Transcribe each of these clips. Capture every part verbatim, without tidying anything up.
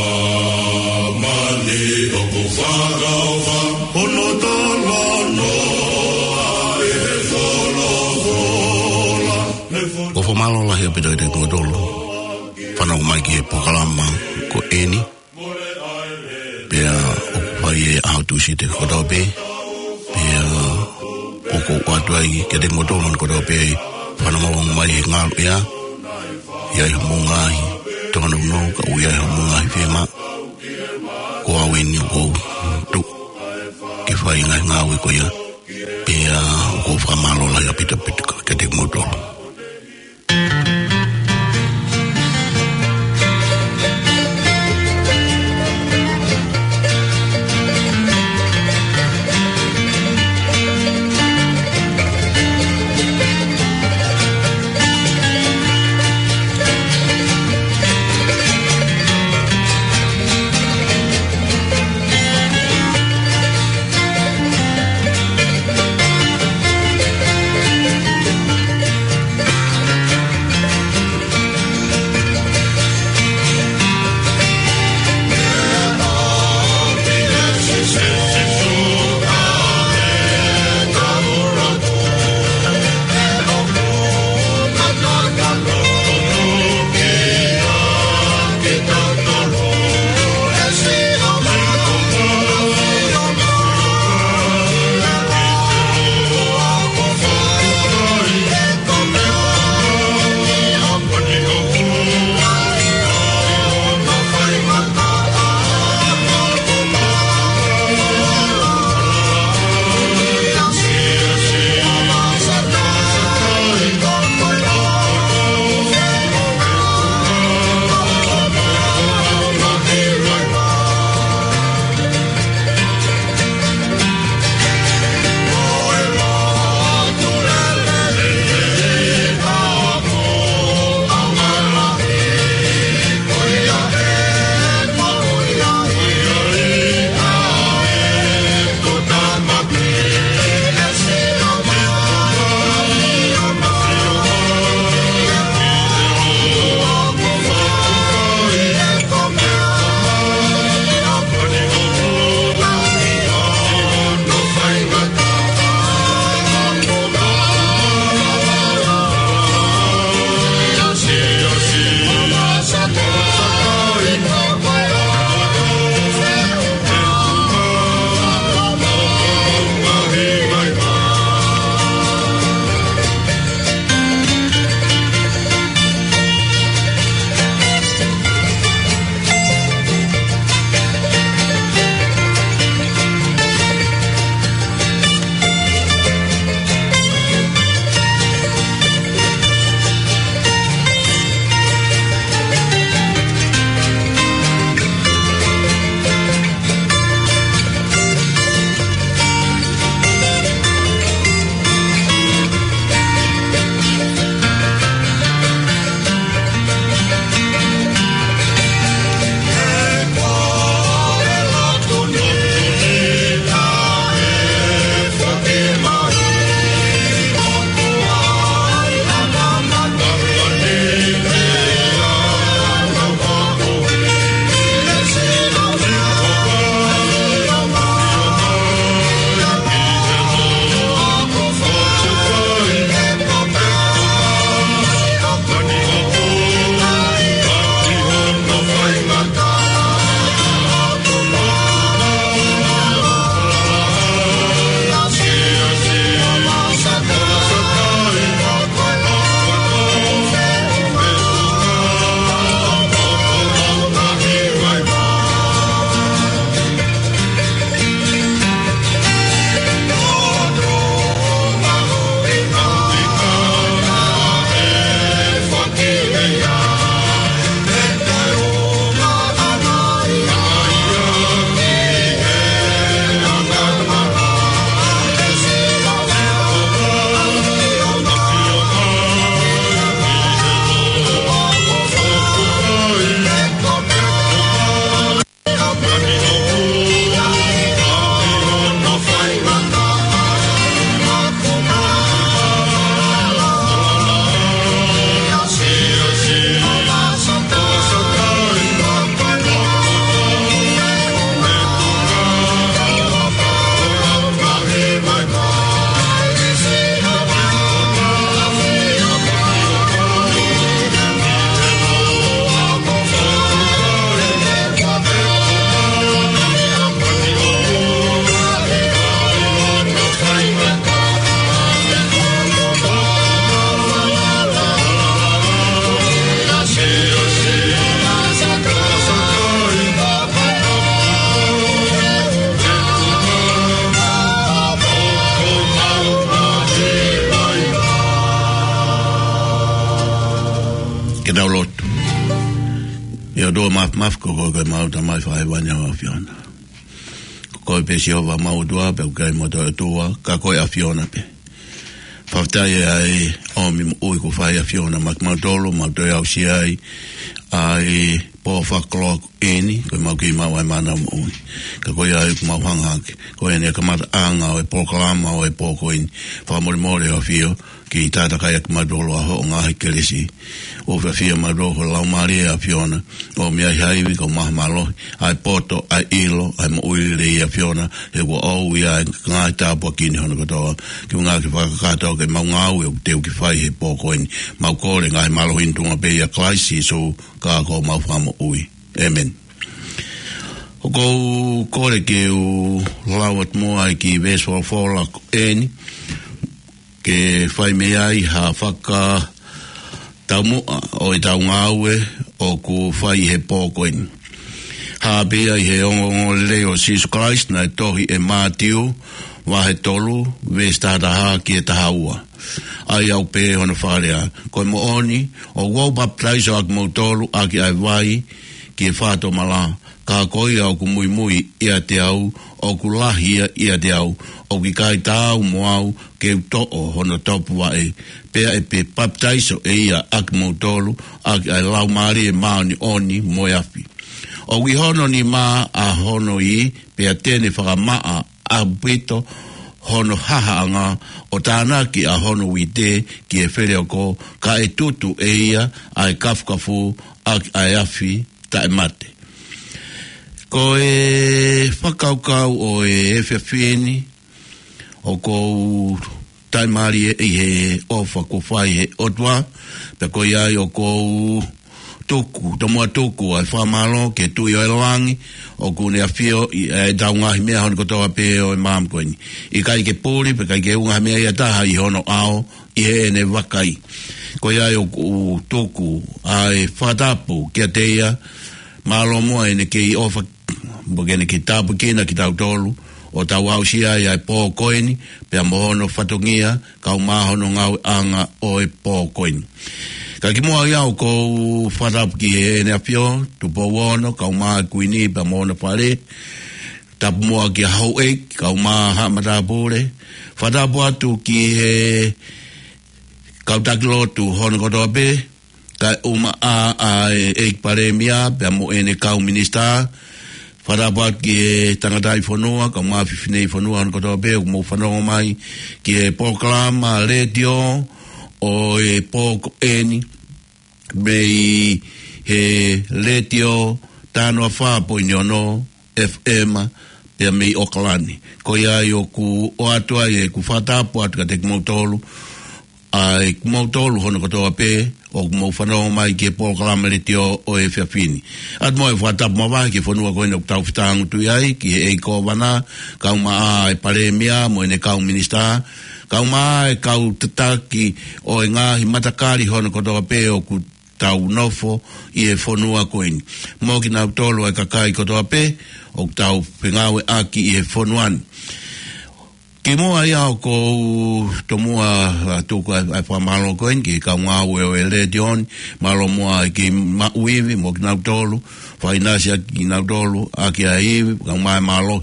Māmani ʻoku fakaʻofa, ono tala noa ʻe he folofola. Ko e fakamālō lahi ʻaupito kiate kimoutolu fanongo mai ki he polokalama ko eni. Pea ʻoku fai ʻi he ʻaho Tūsite kotoa pē. Pea ʻoku ou ʻoatu ai kiate kimoutolu kotoa pē fanongo mai he ngaluʻea. ʻI ai haʻamou ngaahi tōnounou, ka ʻoku ʻi ai haʻamou ngaahi fiemaʻu, ko au eni ʻoku ou tuʻu ke fai e ngaahi ngāue ko ia. Pea ʻoku ou fakamālō lahi ʻaupito ʻaupito kiate kimoutolu. ʻE ʻOtua Māfimafi, ko koe ko ʻemau Tamai Fakahēvani ʻa e ʻAfiona. Ko koe pē Sihova ʻemau ʻOtua, pea ʻoku ʻikai mo ha toe ʻOtua, ka ko e ʻAfiona pē. Fakafetaʻi ʻa e ʻomi moʻui kuo fai ʻe he ʻAfiona maʻa kimautolu, mau toe aʻusia ai ʻa e pō fakakoloa ko eni, ko ʻemau kei maʻu ʻa e mana moʻui. Ka ko ia ai ʻoku mau hanga hake, ko eni ʻa e kamataʻanga ʻo e polokalama ʻo e pō ko eni. Fakamolemole ʻAfio, ke ke tataki ʻa kimautolu ʻaki hoʻo ngaahi kelesi. ʻOfa ʻAfio, mautolu ko e Laumālie ʻo e ʻAfiona, ʻomi ʻa e ivi, kae ʻumaʻā ha mālohi, ʻa e poto, ʻa e ʻilo, ʻa e moʻui lelei ʻa e ʻAfiona, he kuo ʻomi ʻa e ngaahi tāpuaki ni hono kotoa. Ke ngāue ke fakakakato ke mau ngāue ʻoku teu ke fai he pō ko eni. Mau kole ngaahi mālohi ni ʻi he tuʻunga pē ʻia Kalaisi Sīsū, ka ko homau Fakamoʻui. ʻĒmeni. ʻOku ou kole ke u lau atu muʻa ʻa e kiʻi veesi folofola ko eni, ke fai mei ai ha fakataumuʻa ʻo ʻetau ngāue ʻoku fai he pō ko eni. Hā pē ia ʻi he ongoongolelei ʻo Sīsū Kalaisi naʻe tohi ʻe Mātiu, vahe tolu, veesi taha taha ki he taha ua. ʻA ia ʻoku pehē hono fakalea: Ko e moʻoni, ʻoku ou papitaiso ʻa kimoutolu ʻaki ʻa e vai ki he fakatomala, ka ko ia ʻoku muimui ʻiate au, ʻoku lahi ia ʻiate au, ʻoku ʻikai taau mo au ke u toʻo hono topuvaʻe, pea ʻe papitaiso ʻe ia ʻa kimoutolu ʻaki ʻa e Laumālie Māʻoniʻoni mo e afi. ʻOku ʻi hono nima ʻa hono ivi, pea te ne fakamaʻa ʻaupito hono hahaʻanga, ʻo tānaki ʻa hono uite ki he feleoko, kae tutu ʻe ia ʻa e kafukafu ʻaki ʻa e afi taʻemate. Ko e fakakaukau ʻo e efiafi ni, ʻoku ou taʻimālie ʻi he ʻofa kuo fai ʻe he ʻOtua, pea ko ia ai ʻoku ou tuku, tomuʻa tuku ʻa e fakamālō ki he Tuʻi ʻo e langi, ʻoku ne ʻafioʻi ʻetau ngaahi meʻa hono kotoa pē ʻo e māmani ko eni. ʻIkai ke puli, pea ʻikai ke ʻuhinga ha meʻa ia ʻe taha ʻi hono ʻao, ʻi heʻene vakai. Ko ia ai ʻoku ou tuku ʻa e fakatapu kiate ia, mālō muʻa ʻene kei ʻofa, mo ʻene kei tāpuekina kitautolu, ʻo tau aʻusia ai ʻa e pō ko eni, pea mo hono fatongia, kae ʻumaʻā hono ngāueʻanga ʻo e pō ko eni. Ka kimuʻa ia ʻoku ou fakatapu ki heʻene ʻAfio, Tupou Ono, kae ʻumaʻā e Kuini, pea mo hono fale, tapu muʻa ki he houʻeiki, kae ʻumaʻā haʻa matāpule, fakatapu atu ki he kau taki lotu hono kotoa pē, kae ʻumaʻā ʻa e ʻEiki Palēmia, pea mo ʻene kau minisitā, fakatapu atu ki he tangataʻi fonua, kae ʻumaʻā e fineʻeiki fonua hono kotoa pē, ʻoku mou fanongo mai ki he polokalama letiō ʻo e pō ko eni, mei he letiō taha noa fā poini ono F M, pea mei ʻAokalani. Ko ia ai ʻoku ʻoatu ai ʻeku fakatapu atu kiate kimoutolu, ʻa kimoutolu hono kotoa pē, ʻoku mou fanongo mai ki he polokalama letiō ʻo e efiafi ni. ʻOatu muʻa e fakatapu mavahe ki he fonua ko eni ʻoku tau fetāngutuʻi ai, ki he ʻEiki Kōvana, kae ʻumaʻā e Palēmia mo ʻene kau minisitā, kae ʻumaʻā e kau tataki ʻo e ngaahi matakali hono kotoa pē ʻoku tau nofo ʻi he fonua ko eni. Mo kinautolu ʻa e kakai kotoa pē ʻoku tau fengāueʻaki ʻi he fonua ni. Kimuʻa ia ʻoku ou tomuʻa, ʻa, tuku ʻa e, ʻa e fakamālō ko eni ki he kau ngāue ʻo e letiō ni, mālō muʻa e kei maʻu ivi mo kinautolu, fakaʻinasi ʻaki kinautolu ʻaki ʻa e ivi, kae ʻumaʻā e mālohi.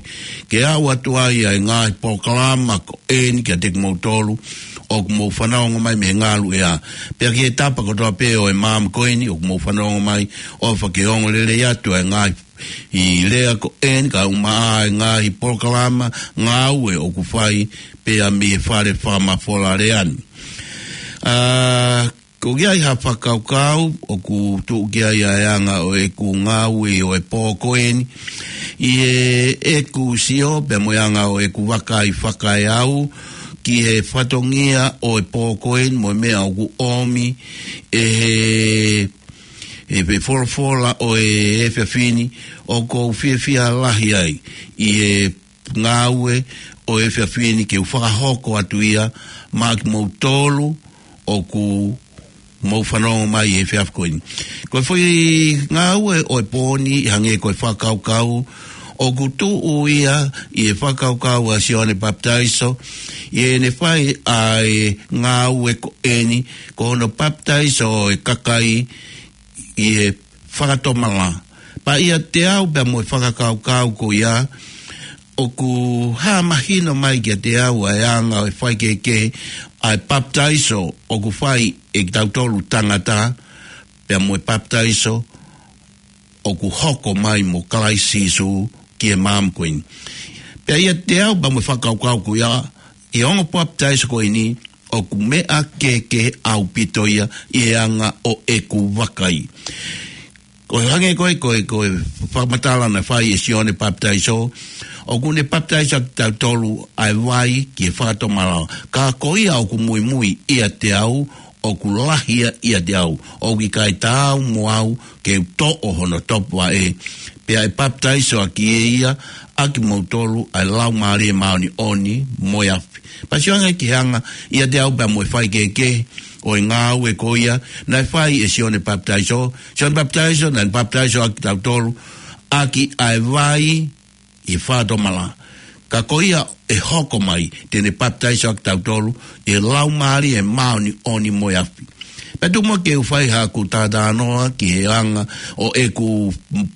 Ke aʻu atu ai ʻa e ngaahi polokalama ko eni kiate kimoutolu ʻoku mou fanongo mai mei he ngaluʻea. Pea ki he tapa kotoa pē ʻo e māmani ko eni ʻoku mou fanongo mai, ʻofa ke ongo lelei atu ʻa e ngaahi lea ko eni kae ʻumaʻā e ngaahi polokalama ngāue ʻoku fai pea mei he fale fakamafola lea ni. ʻA, ko ia ai ha fakakaukau ʻoku tuʻu ki ai ʻa e anga ʻo ʻeku ngāue ʻo e pō ko eni. ʻI heʻeku sio pea mo e anga ʻo ʻeku vakai fakaeau ki he fatongia ʻo e pō ko eni mo e meʻa ʻoku ʻomi ʻe he, ʻe he folofola ʻo e efiafi ni, ʻoku ou fiefia lahi ai ʻi he ngāue ʻo e efiafi ni ke u fakahoko atu ia maʻa kimoutolu ʻoku mou fanongo mai he efiafi ko eni. Ko e foʻi ngāue ʻo e pō ni, hangē ko e fakakaukau, ʻoku tuʻu ia ʻi he fakakaukau ʻa Sione Papitaiso, ʻi heʻene fai ʻa e ngāue ko eni, ko hono papitaiso ʻo e kakai ʻi he fakatomala. Pea ʻiate au pea mo e fakakaukau ko ia, ʻoku hā mahino mai kiate au ʻa e anga ʻo e faikehekehe ʻa e papitaiso ʻoku fai ʻe kitautolu tangata, pea mo e papitaiso ʻoku hoko mai mo Kalaisi Sīsū ki he maama ko eni. Pea ʻiate au pea mo e fakakaukau ko ia, ʻi he ongo papitaiso ko eni, ʻoku meʻa kehekehe ʻaupito ia ʻi he anga ʻo ʻeku vakai. Ko e hangē ko e, ko e, ko e fakamatala naʻe fai ʻe Sione Papitaiso, ʻoku ne papitaiso kitautolu ʻa e vai ki he fakatomala. Ka ko ia ʻoku muimui ʻiate au, ʻoku lahi ia ʻiate au, ʻoku ʻikai taau mo au ke u toʻo hono topuvaʻe, pea ʻe papitaiso ʻaki ʻe ia ʻa kimoutolu ʻa e Laumālie Māʻoniʻoni mo e afi. Pea sio ange ki he anga ʻiate au pea mo e faikehekehe ʻo e ngāue ko ia naʻe fai ʻe Sione Papitaiso. Sione Papitaiso naʻa ne papitaiso ʻaki kitautolu ʻaki ʻa e vai ʻi he fakatomala. Ka ko ia ʻe hoko mai, te ne papitaiso ʻaki kitautolu ʻi he Laumālie Māʻoniʻoni mo e afi. Pea tuku muʻa ke u fai haʻaku talanoa ki he anga ʻo ʻeku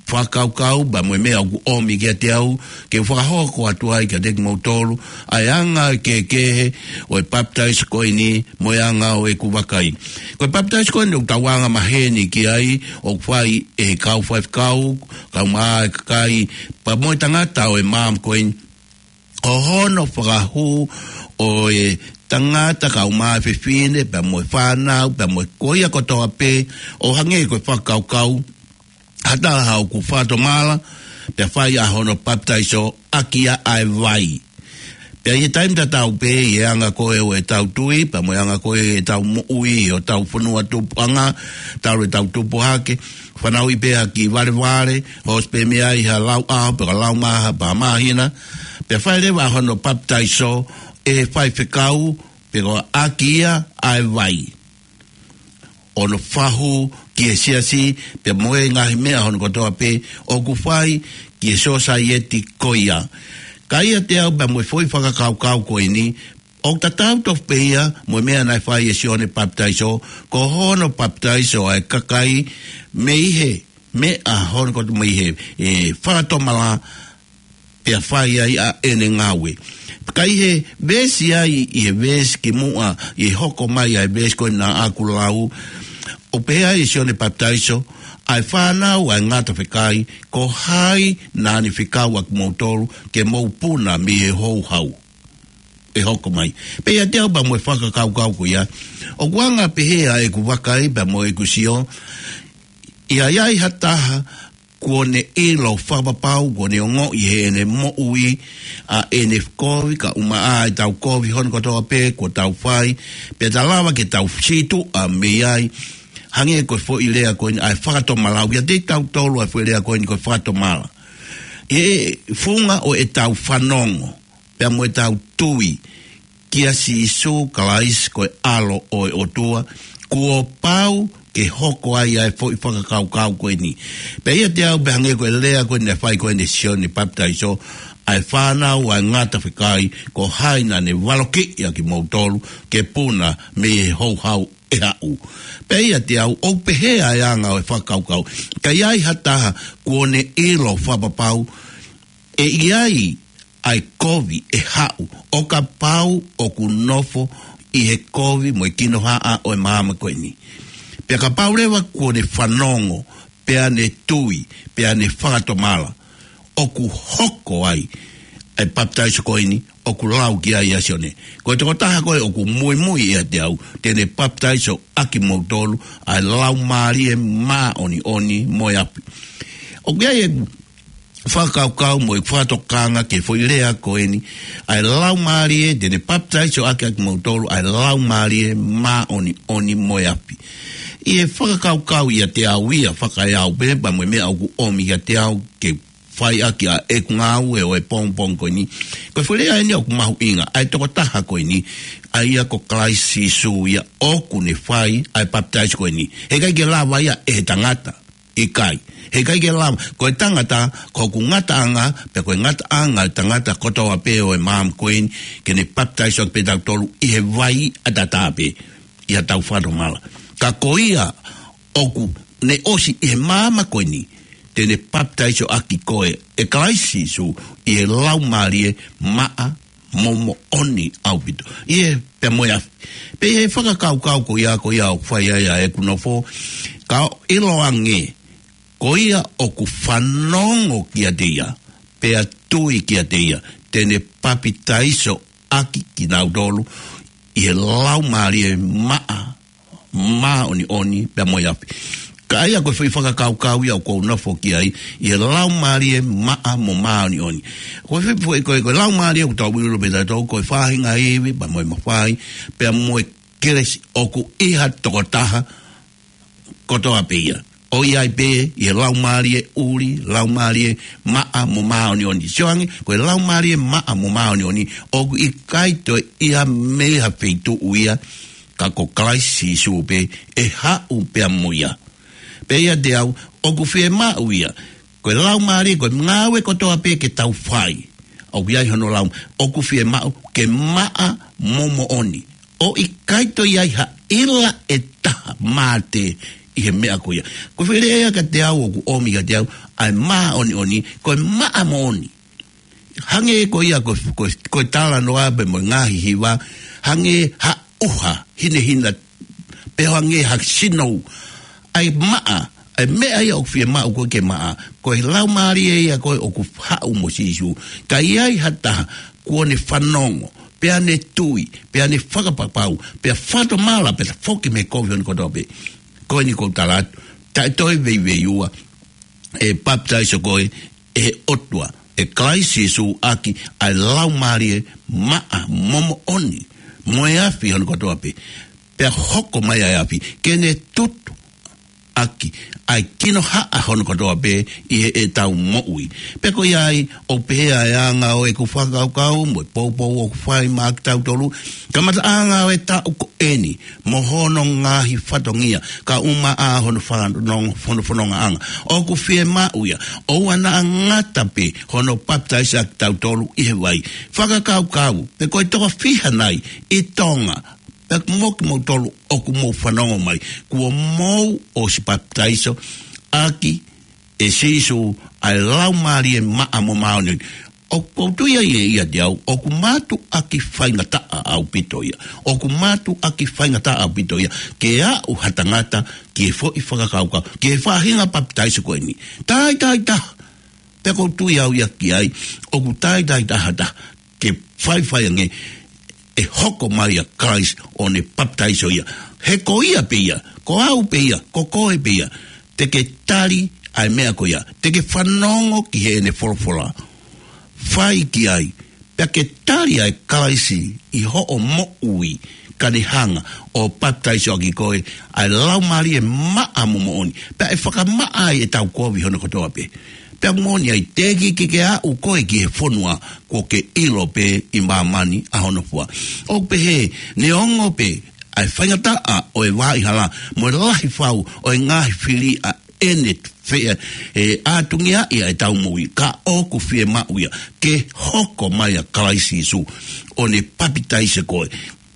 fakakaukau, pea mo e meʻa ʻoku ʻomi kiate au, ke u fakahoko atu ai kiate kimoutolu ʻa e anga kehekehe ʻo e papitaiso ko eni mo e anga ʻo ʻeku vakai. Ko e papitaiso ko eni ʻoku tau anga maheni ki ai, ʻoku fai ʻe he kau faifekau, kaeʻumaʻā e kakai, pea mo e tangata ʻo e maama ko eni, ko hono fakahū ʻo e tangata kaeʻumaʻā e fefine, pea mo e fānau, pea mo e ko ia kotoa pē, ʻo hangē ko e fakakaukau, ha taha ʻoku fakatomala, pea fai ʻa hono papitaiso ʻaki ia ʻa e vai. Pea ʻi he taimi tatau pē, ʻi he anga ko ē ʻo ʻetau tui, pea mo e anga ko ē ʻetau moʻui, ʻo ʻetau fonua tupuʻanga, talu ʻetau tupu hake, fanauʻi pē ha kiʻi valevale, hoosi pē mei ai ha lau ʻaho, pe ko e lau maha, pe ha māhina, pea fai leva ʻa hono papitaiso ʻe he faifekau, pe ko e ʻaki ia ʻa e vai. ʻO hono fakahū ki he siasi, pea mo e ngaahi meʻa hono kotoa pē ʻoku fai ki he sosaieti ko ia. Ka ʻiate au pea mo e foʻi fakakaukau ko eni, ʻoku tatau tofu pē ia mo e meʻa naʻe fai ʻe Sione Papitaiso, ko hono papitaiso ʻa e kakai mei he meʻa hono kotoa, mei he, e, fakatomala, pea fai ai ʻa ʻene ngāue. Ka ʻi he veesi ai, ʻi he veesi kimuʻa, ʻi he hoko mai ʻa e veesi ko ena ʻoku lau, ʻoku pehē ai ʻe Sione Papitaiso, ʻa e fānau ʻa e ngata fekai, ko hai naʻa ne fekau ʻa kimoutolu ke mou puna mei he houhau ʻe hoko mai. Pea ʻiate au pea mo e fakakaukau ko ia, ʻoku anga pehē ʻa ʻeku vakai pea mo ʻeku sio, ʻi ai ʻa e ha taha kuo ne ʻilo fakapapau, kuo ne ongoʻi heʻene moʻui ʻa ʻene kovi, kaeʻumaʻā ʻetau kovi hono kotoa pē kuo tau fai, pea ta lava ke tau sītuʻa mei ai, hangē ko e foʻi lea ko eni ʻa e fakatomala, ʻoku ʻiate kitautolu ʻa e foʻi lea ko eni ko e fakatomala. ʻI he funga ʻo ʻetau fanongo, pea mo ʻetau tui kia Sīsū Kalaisi ko e ʻAlo ʻo e ʻOtua, kuo pau ke hoko ai ʻa e foʻi fakakaukau ko eni. Pea ʻiate au pea hangē ko e lea ko eni naʻe fai ko eni ʻe Sione Papitaiso, ʻa e fānau ʻa e ngata fekai, ko hai naʻa ne valokiʻi ʻa kimoutolu ke puna mei he houhau ʻe haʻu. Pea ʻiate au, ʻoku pehē ʻa e anga ʻo e fakakaukau. Ka ʻi ai ha taha kuo ne ʻilo fakapapau, ʻe ʻi ai ʻa e kovi ʻe haʻu, ʻo kapau ʻoku nofo ʻi he kovi mo e kinohaʻa ʻo e maama ko eni. Pea kapau leva kuo ne fanongo, pea ne tui, pea ne fakatomala, ʻoku hoko ai ʻa e papitaiso ko eni ʻoku lau ki ai ʻa Sione. Ko e tokotaha ko ē ʻoku muimui ʻiate au, te ne papitaiso ʻaki kimoutolu ʻa e Laumālie Māʻoniʻoni mo e afi. ʻOku ʻi ai ʻeku fakakaukau mo e fakatokanga ki he foʻi lea ko eni, ʻa e Laumālie, te ne papitaiso ʻaki ʻa kimoutolu ʻa e Laumālie Māʻoniʻoni mo e afi. ʻI he fakakaukau ʻiate au ia fakaeau pē pea mo e meʻa ʻoku ʻomi kiate au ke fai ʻaki ʻa ʻeku ngāue ʻo e pongipongi ko eni. Ko e foʻi lea eni ʻoku mahuʻinga, ʻa e tokotaha ko eni, ʻa ia ko Kalaisi Sīsū ia ʻoku ne fai ʻa e papitaiso ko eni. Heʻikai ke lava ia ʻe he tangata. ʻIkai. Heʻikai ke lava. Ko e tangata, ko hoku ngataʻanga, pea ko e ngataʻanga ʻo e tangata kotoa pē ʻo e maama ko eni, ke ne papitaiso ʻaki pē kitautolu ʻi he vai ʻataʻatā pē, ʻi haʻatau fakatomala. Ka ko ia ʻoku ne ʻosi ʻi he maama ko eni, te ne papitaiso ʻaki koe ʻe Kalaisi Sīsū ʻi he Laumālie Maʻa mo Moʻoni ʻaupito. ʻI he pea mo e afi. Pea ʻi he fakakaukau ko ia, ko ia ʻoku fai ai ʻa ʻeku nofo, ka ʻiloange, ko ia ʻoku fanongo kiate ia, pea tui kiate ia, te ne papitaiso ʻaki kinautolu ʻi he Laumālie Maʻa, Māʻoniʻoni, pea mo e afi. Ka ʻa ia ko e foʻi fakakaukau ia ʻoku ou nofo ki ai, ʻi he Laumālie Maʻa mo Māʻoniʻoni. Ko e foʻi, foʻi, ko e, ko e Laumālie ʻoku tau ʻilo pē tautolu, ko e faʻahinga ivi, pea mo e mafai, pea mo e kelesi ʻoku ʻi ha tokotaha kotoa pē ia. ʻOku ʻi ai pē ʻi he Laumālie ʻuli, Laumālie Maʻa mo Māʻoniʻoni. Sio ange, ko e Laumālie Maʻa mo Māʻoniʻoni, ʻoku ʻikai toe ʻi ai mei ha feituʻu ia, ka ko Kalaisi Sīsū pē ʻe haʻu pea mo ia. Pea ʻiate au, ʻoku fiemaʻu ia, ko e Laumālie, ko e ngāue kotoa pē ke tau fai, ʻoku ʻi ai hono lau, ʻoku fiemaʻu ke maʻa mo moʻoni. ʻOku ʻikai toe ʻi ai ha ʻila ʻe taha mate ʻi he meʻa ko ia. Ko e foʻi lea ia kiate au ʻoku ʻomi kiate au, ʻa e māʻoniʻoni, ko e maʻa moʻoni. Hangē ko ia ko, ko, ko e talanoa pea mo e ngaahi hiva, hangē ha ʻuha hinehina, pe hangē ha sinou. ʻA e maʻa, ʻa e meʻa ia ʻoku fiemaʻu ko ē ke maʻa, ko e Laumālie ia ko ē ʻoku haʻu mo Sīsū. Ka ʻi ai ha taha, kuo ne fanongo, pea ne tui, pea ne fakapapau, pea fakatomala, pea foki mei he kovi hono kotoa pē. Ko eni ʻoku ou tala atu, taʻe toe veiveiua, ʻe papitaiso koe ʻe he ʻOtua, ʻe Kalaisi Sīsū ʻaki ʻa e Laumālie Maʻa mo Moʻoni, mo e afi hono kotoa pē. Pea hoko mai ʻa e afi, ke ne tutu ʻaki ʻa e kinohaʻa hono kotoa pē ʻi heʻetau moʻui. Pea ko ia ai, ʻoku pehē ʻa e anga ʻo ʻeku fakakaukau, mo e poupou ʻoku fai maʻa kitautolu, kamataʻanga ʻo e taʻu ko eni, mo hono ngaahi fatongia, kae ʻumaʻā hono fanongo, hono fonongaʻanga. ʻOku fiemaʻu ia, ʻoua naʻa ngata pē hono papitaiso ʻa kitautolu ʻi he vai. Fakakaukau, pe ko e toko fiha nai ʻi Tonga, pea mo kimoutolu ʻoku mou fanongo mai, kuo mou ʻosi papitaiso ʻaki ʻe Sīsū ʻa e Laumālie Maʻa mo Māʻoniʻoni. ʻOku ou tui ai ʻe ʻiate au, ʻoku mātuʻaki faingataʻa ʻaupito ia. ʻOku mātuʻaki faingataʻa ʻaupito ia, ke aʻu ha tangata ki he foʻi fakakaukau, ki he faʻahinga papitaiso ko eni. Taʻetaha, taʻetaha. Pea ʻoku ou tui au ia ki ai, ʻoku taʻetaha, taʻetaha, ke faifai ange, ʻe hoko mai ʻa Kalaisi ʻo ne papitaiso ia. He ko ia pē ia, ko au pē ia, ko koe pē ia, te ke tali ʻa e meʻa ko ia, te ke fanongo ki heʻene folofola. Fai ki ai, pea ke tali ʻa e Kalaisi ʻi hoʻo moʻui, ka ne hanga ʻo papitaiso ʻaki koe ʻa e Laumālie Maʻa mo Moʻoni. Pea ʻe fakamaʻa ai ʻetau kovi hono kotoa pē. Pea moʻoni ai, teʻeki ke ke aʻu koe ki he fonua, kuo ke ʻilo pē ʻi māmani ʻa hono fua. ʻOku pehē, neongo pē ʻa e faingataʻa ʻo e vaʻa hala, mo e lahi fau ʻo e ngaahi fili ʻa ʻene fe-, ʻe ʻatungiaʻi ʻa ʻetau moʻui, ka ʻoku fiemaʻu ia, ke hoko mai ʻa Kalaisi Sīsū, ʻo ne papitaiso koe.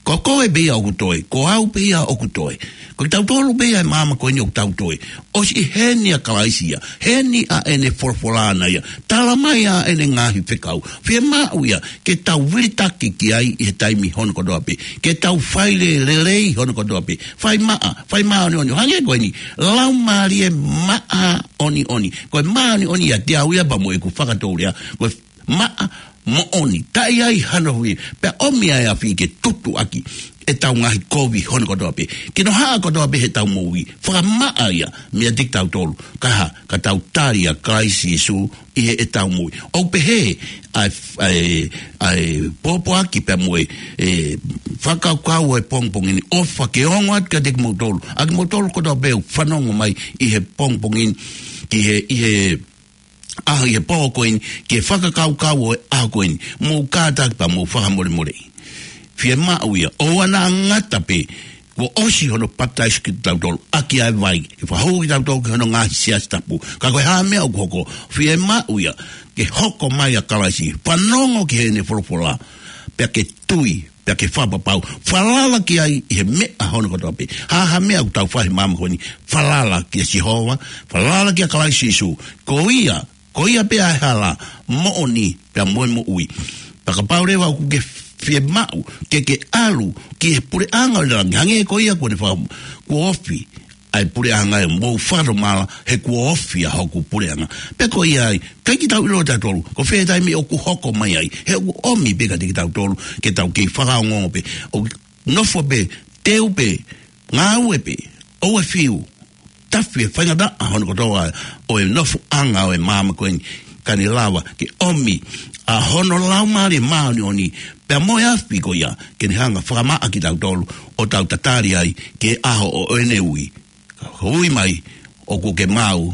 Ko koe pē ia ʻoku toe, ko au pē ia ʻoku toe. Ko kitautolu pē ia ʻi māmani ko eni ʻoku tau toe. ʻOsi ʻi heni ʻa Kalaisi ia, heni ʻa ʻene folofola ʻana ia, tala mai ʻa ʻene ngaahi fekau. Fiemaʻu ia, ke tau vilitaki ki ai ʻi he taimi hono kotoa pē. Ke tau fai lelei hono kotoa pē. Fai maʻa, fai māʻoniʻoni. Hangē ko eni, Laumālie Māʻoniʻoni. Ko e māʻoniʻoni ʻiate au ia pea mo ʻeku fakatoulea. Ko e maʻa moʻoni. Taʻe ʻi ai hano hui. Pea ʻomi ʻa e afi ke tutu ʻaki ʻetau ngaahi kovi hono kotoa pē. Kinohaʻa kotoa pē heʻetau moʻui. Fakamaʻa ia meiate kitautolu. Ka hā, ka tau tali ʻa Kalaisi Sīsū ʻi heʻetau moʻui. ʻOku pehē ʻa e, ʻa e, ʻa e pōpoaki pea mo e, e, fakakaukau ʻo e pongipongi ni, ʻofa ke ongo atu kiate kimoutolu, ʻa kimoutolu kotoa pē ʻoku fanongo mai ʻi he pongipongi ni, ki he, ʻi he, ʻaho, ʻi he pō ko eni, ki he fakakaukau ʻo e ʻaho ko eni, mou kātaki pea mou fakamolemoleʻi. Fiemaʻu ia, ʻoua naʻa ngata pē, kuo ʻosi hono papitaiso kitautolu ʻaki ʻa e vai, ke fakahū kitautolu ki hono ngaahi siasi tapu. Ka ko e hā meʻa ʻoku hoko, fiemaʻu ia, ke hoko mai ʻa Kalaisi, fanongo ki heʻene folofola, pea ke tui, pea ke fakapapau. Falala ki ai ʻi he meʻa hono kotoa pē. Ha ha meʻa ʻoku tau fai he māmani ko eni, falala kia Sihova, falala kia Kalaisi Sīsū. Ko ia, ko ia pē ʻa e hala, moʻoni, pea mo e moʻui. Pea kapau leva ʻoku ke fiemaʻu ke ke ʻalu ki he puleʻanga ʻo e langi, hangē ko ia kuo ne faka-, kuo ofi ʻa e puleʻanga ʻe, mou fakamālō he kuo ofi ʻa hoku puleʻanga. Pea ko ia ai, ʻikai ke tau ʻilo ʻe tautolu ko fē taimi ʻoku hoko mai ai. He ʻoku ʻomi pē kiate kitautolu ke tau kei fakaongoongo pē. ʻO nofo pē, teu pē, ngāue pē, ʻoua ʻe fiu, tafi e faingataʻa hono kotoa ʻo e nofoʻanga ʻo e māmani ko eni, ka ne lava ke ʻomi ʻa hono Laumālie Māʻoniʻoni, pea mo e afi ko ia, ke ne hanga fakamaʻa kitautolu ʻo tau tatali ai ki he ʻaho ʻo ʻene ui. Ka ui mai, ʻoku ke maʻu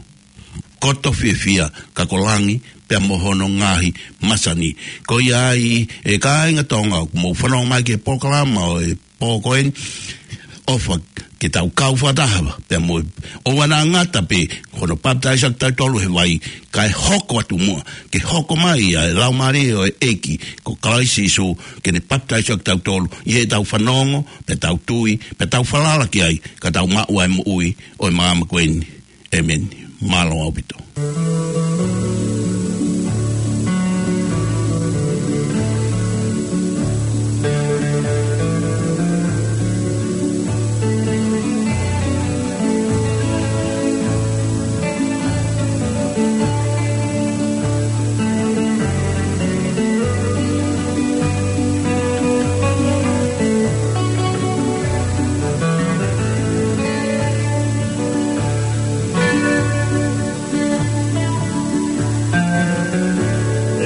kotoa fiefia, ka ko langi pea mo hono ngaahi masani. Ko ia ai, ʻe kāinga Tonga, ʻoku mou fanongo mai ki he polokalama ʻo e pō ko eni, ʻofa ke tau kau fakataha pea mo, ʻoua naʻa ngata pē ko hono papitaiso kitautolu he vai, kae hoko atu muʻa ke hoko mai ʻa e Laumālie ʻo e ʻEiki ko Kalaisi Sīsū, ke ne papitaiso kitautolu ʻi heʻetau fanongo, pea tau tui, pea tau falala ki ai, ka tau maʻu ʻa e moʻui ʻo e māmani ko eni. ʻĒmeni. Mālō ʻaupito.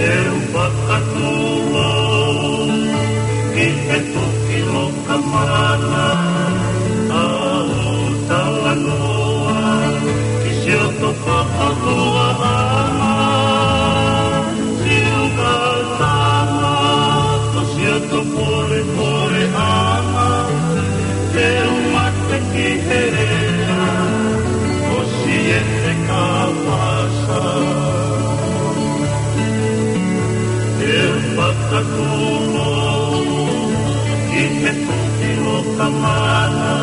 ʻE u fakatū au ki he toki loka mana, ʻa hoʻo talanoa ki siʻoto fakahuaʻanga, siʻoto tama, ko siʻoto polepoleʻanga, te u mate ki he lea ʻo Siete Kapasa. ʻE u fakatū au ki he toki loka mana,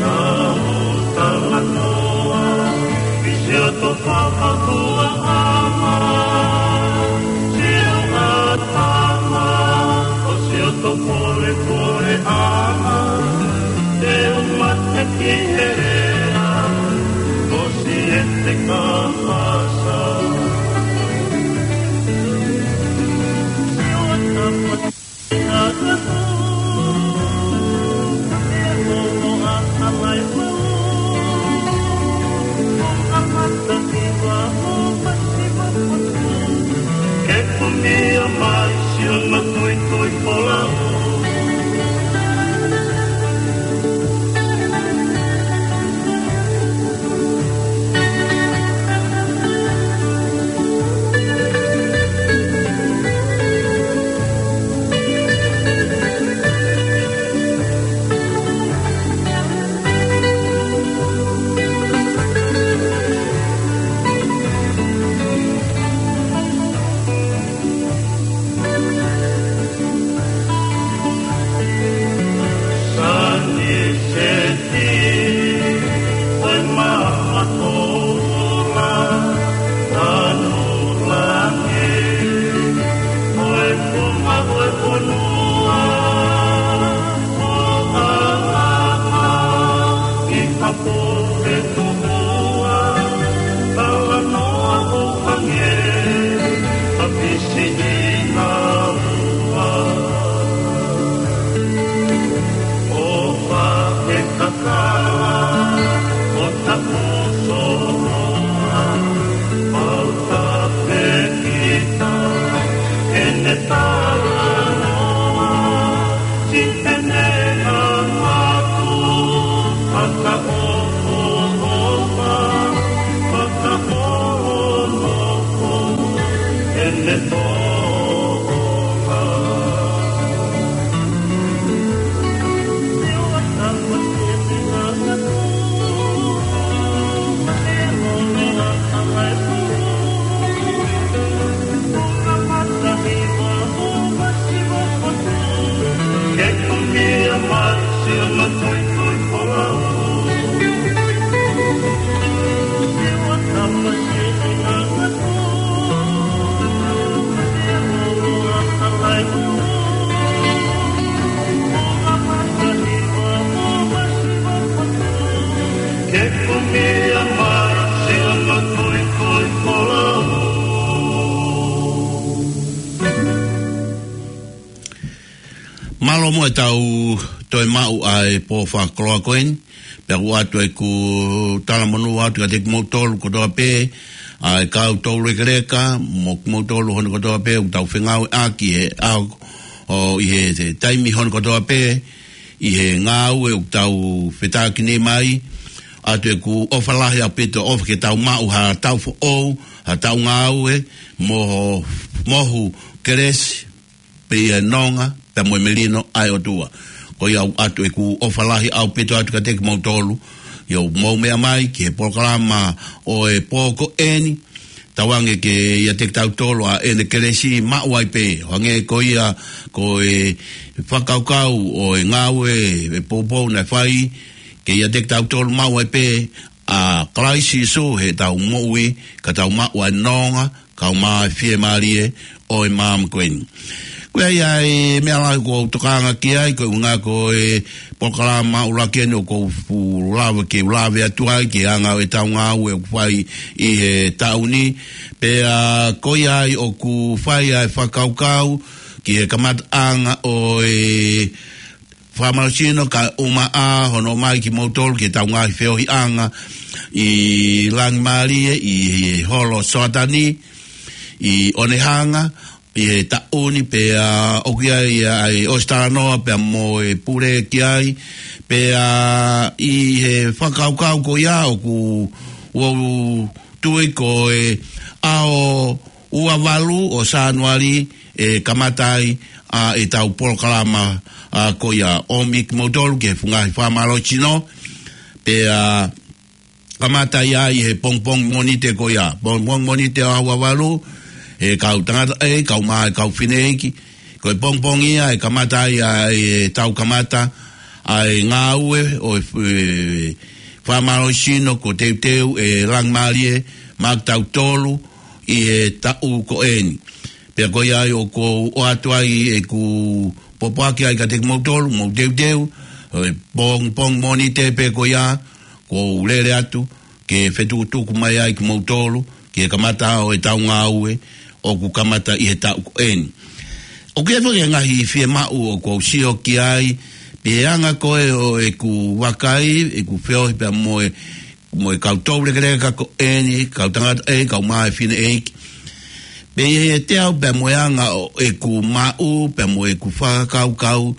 ʻa hoʻo talanoa ki siʻoto fakahuaʻanga, siʻoto tama, ko siʻoto polepoleʻanga, te u mate ki he lea ʻo Siete Kapasa. Ke kumia mai siʻono tuitui folau. Mālō muʻa ʻetau toe maʻu ʻa e pō fakakoloa ko eni, pea ʻoku ʻoatu ʻeku talamonū atu kiate kimoutolu kotoa pē, ʻa e kau toulekeleka, mo kimoutolu hono kotoa pē, ʻoku tau fengāueʻaki he ʻaho, ʻo ʻi he, he taimi hono kotoa pē, ʻi he ngāue ʻoku tau fetākinima ai, ʻoatu ʻeku ʻofa lahi ʻaupito, ʻofa ke tau maʻu ha taʻu foʻou, ha taʻu ngāue, mo, mohu kelesi, pea ʻi he nonga, pea mo e melino ʻa e ʻOtua. Ko ia ʻoku ʻoatu ʻeku ʻofa lahi ʻaupito atu kiate kimoutolu, ʻi hoʻomou meʻa mai ki he polokalama ʻo e pō ko eni, tauange ke ʻiate kitautolu ʻa ʻene kelesi maʻu ai pē, hangē ko ia ko e fakakaukau ʻo e ngāue ʻe poupou naʻe fai, ke ʻiate kitautolu maʻu ai pē ʻa Kalaisi Sīsū heʻetau moʻui, ka tau maʻu ʻa e nonga, kae ʻumaʻā e fiemālie ʻo e maama ko eni. Ko ia ai e meʻa lahi ʻoku ou tokanga ki ai, ko e ʻuhinga ko e polokalama ʻuluaki eni ʻoku ou fuʻu lava ke u lave atu ai, ki he anga ʻo ʻetau ngāue ʻoku fai ʻi he taʻu ni. Pea ko ia ai ʻoku fai ai e fakakaukau, ki he kamataʻanga ʻo e fakamālohisino kae ʻumaʻā hono ʻomai kimoutolu ki heʻetau ngaahi feohiʻanga ʻi Langimālie, ʻi he holo Soatani, ʻi Onehunga, ʻi he taʻu ni pea ʻoku ʻi ai ʻa e ʻosi talanoa pea mo e pule ki ai, pea ʻi he fakakaukau ko ia ʻoku ou tui ko e ʻaho ua valu ʻo Sānuali ʻe kamata ai ʻa ʻetau polokalama ʻa ko ia ʻomi kimoutolu ki he fuʻu ngaahi fakamālohisino, pea kamata ia ʻi he pongipongi Mōnite ko ia. Pongipongi Mōnite ʻaho ua valu, ʻe kau tangataʻeiki, kae ʻumaʻā e kau fineʻeiki. Ko e pongipongi ia ʻe kamata ai ʻa ʻetau kamata ʻa e ngāue ʻo e f-, e fakamālohisino kuo teuteu ʻe Langimālie maʻa kitautolu ʻi he taʻu ko eni. Pea ko ia ai ʻoku ou ʻoatu ai ʻeku pōpoaki ai kiate kimoutolu, mou teuteu, ʻo e pongipongi Mōnite pē ko ia, ʻoku ou lele atu, ke fetukutuku mai ai kimoutolu, ki he kamata ʻo ʻetau ngāue, ʻoku kamata ʻi he taʻu ko eni. ʻOku ʻi ai foki e ngaahi fiemaʻu ʻoku ou sio ki ai, pea ʻi he anga ko ē ʻo ʻeku vakai, ʻeku feohi pea mo e mo e kau toulekeleka ko eni, kau tangataʻeiki, kae ʻumaʻā e fineʻeiki. Pea ʻi heʻete ʻalu pea mo e anga ʻo ʻeku maʻu, pea mo ʻeku fakakaukau,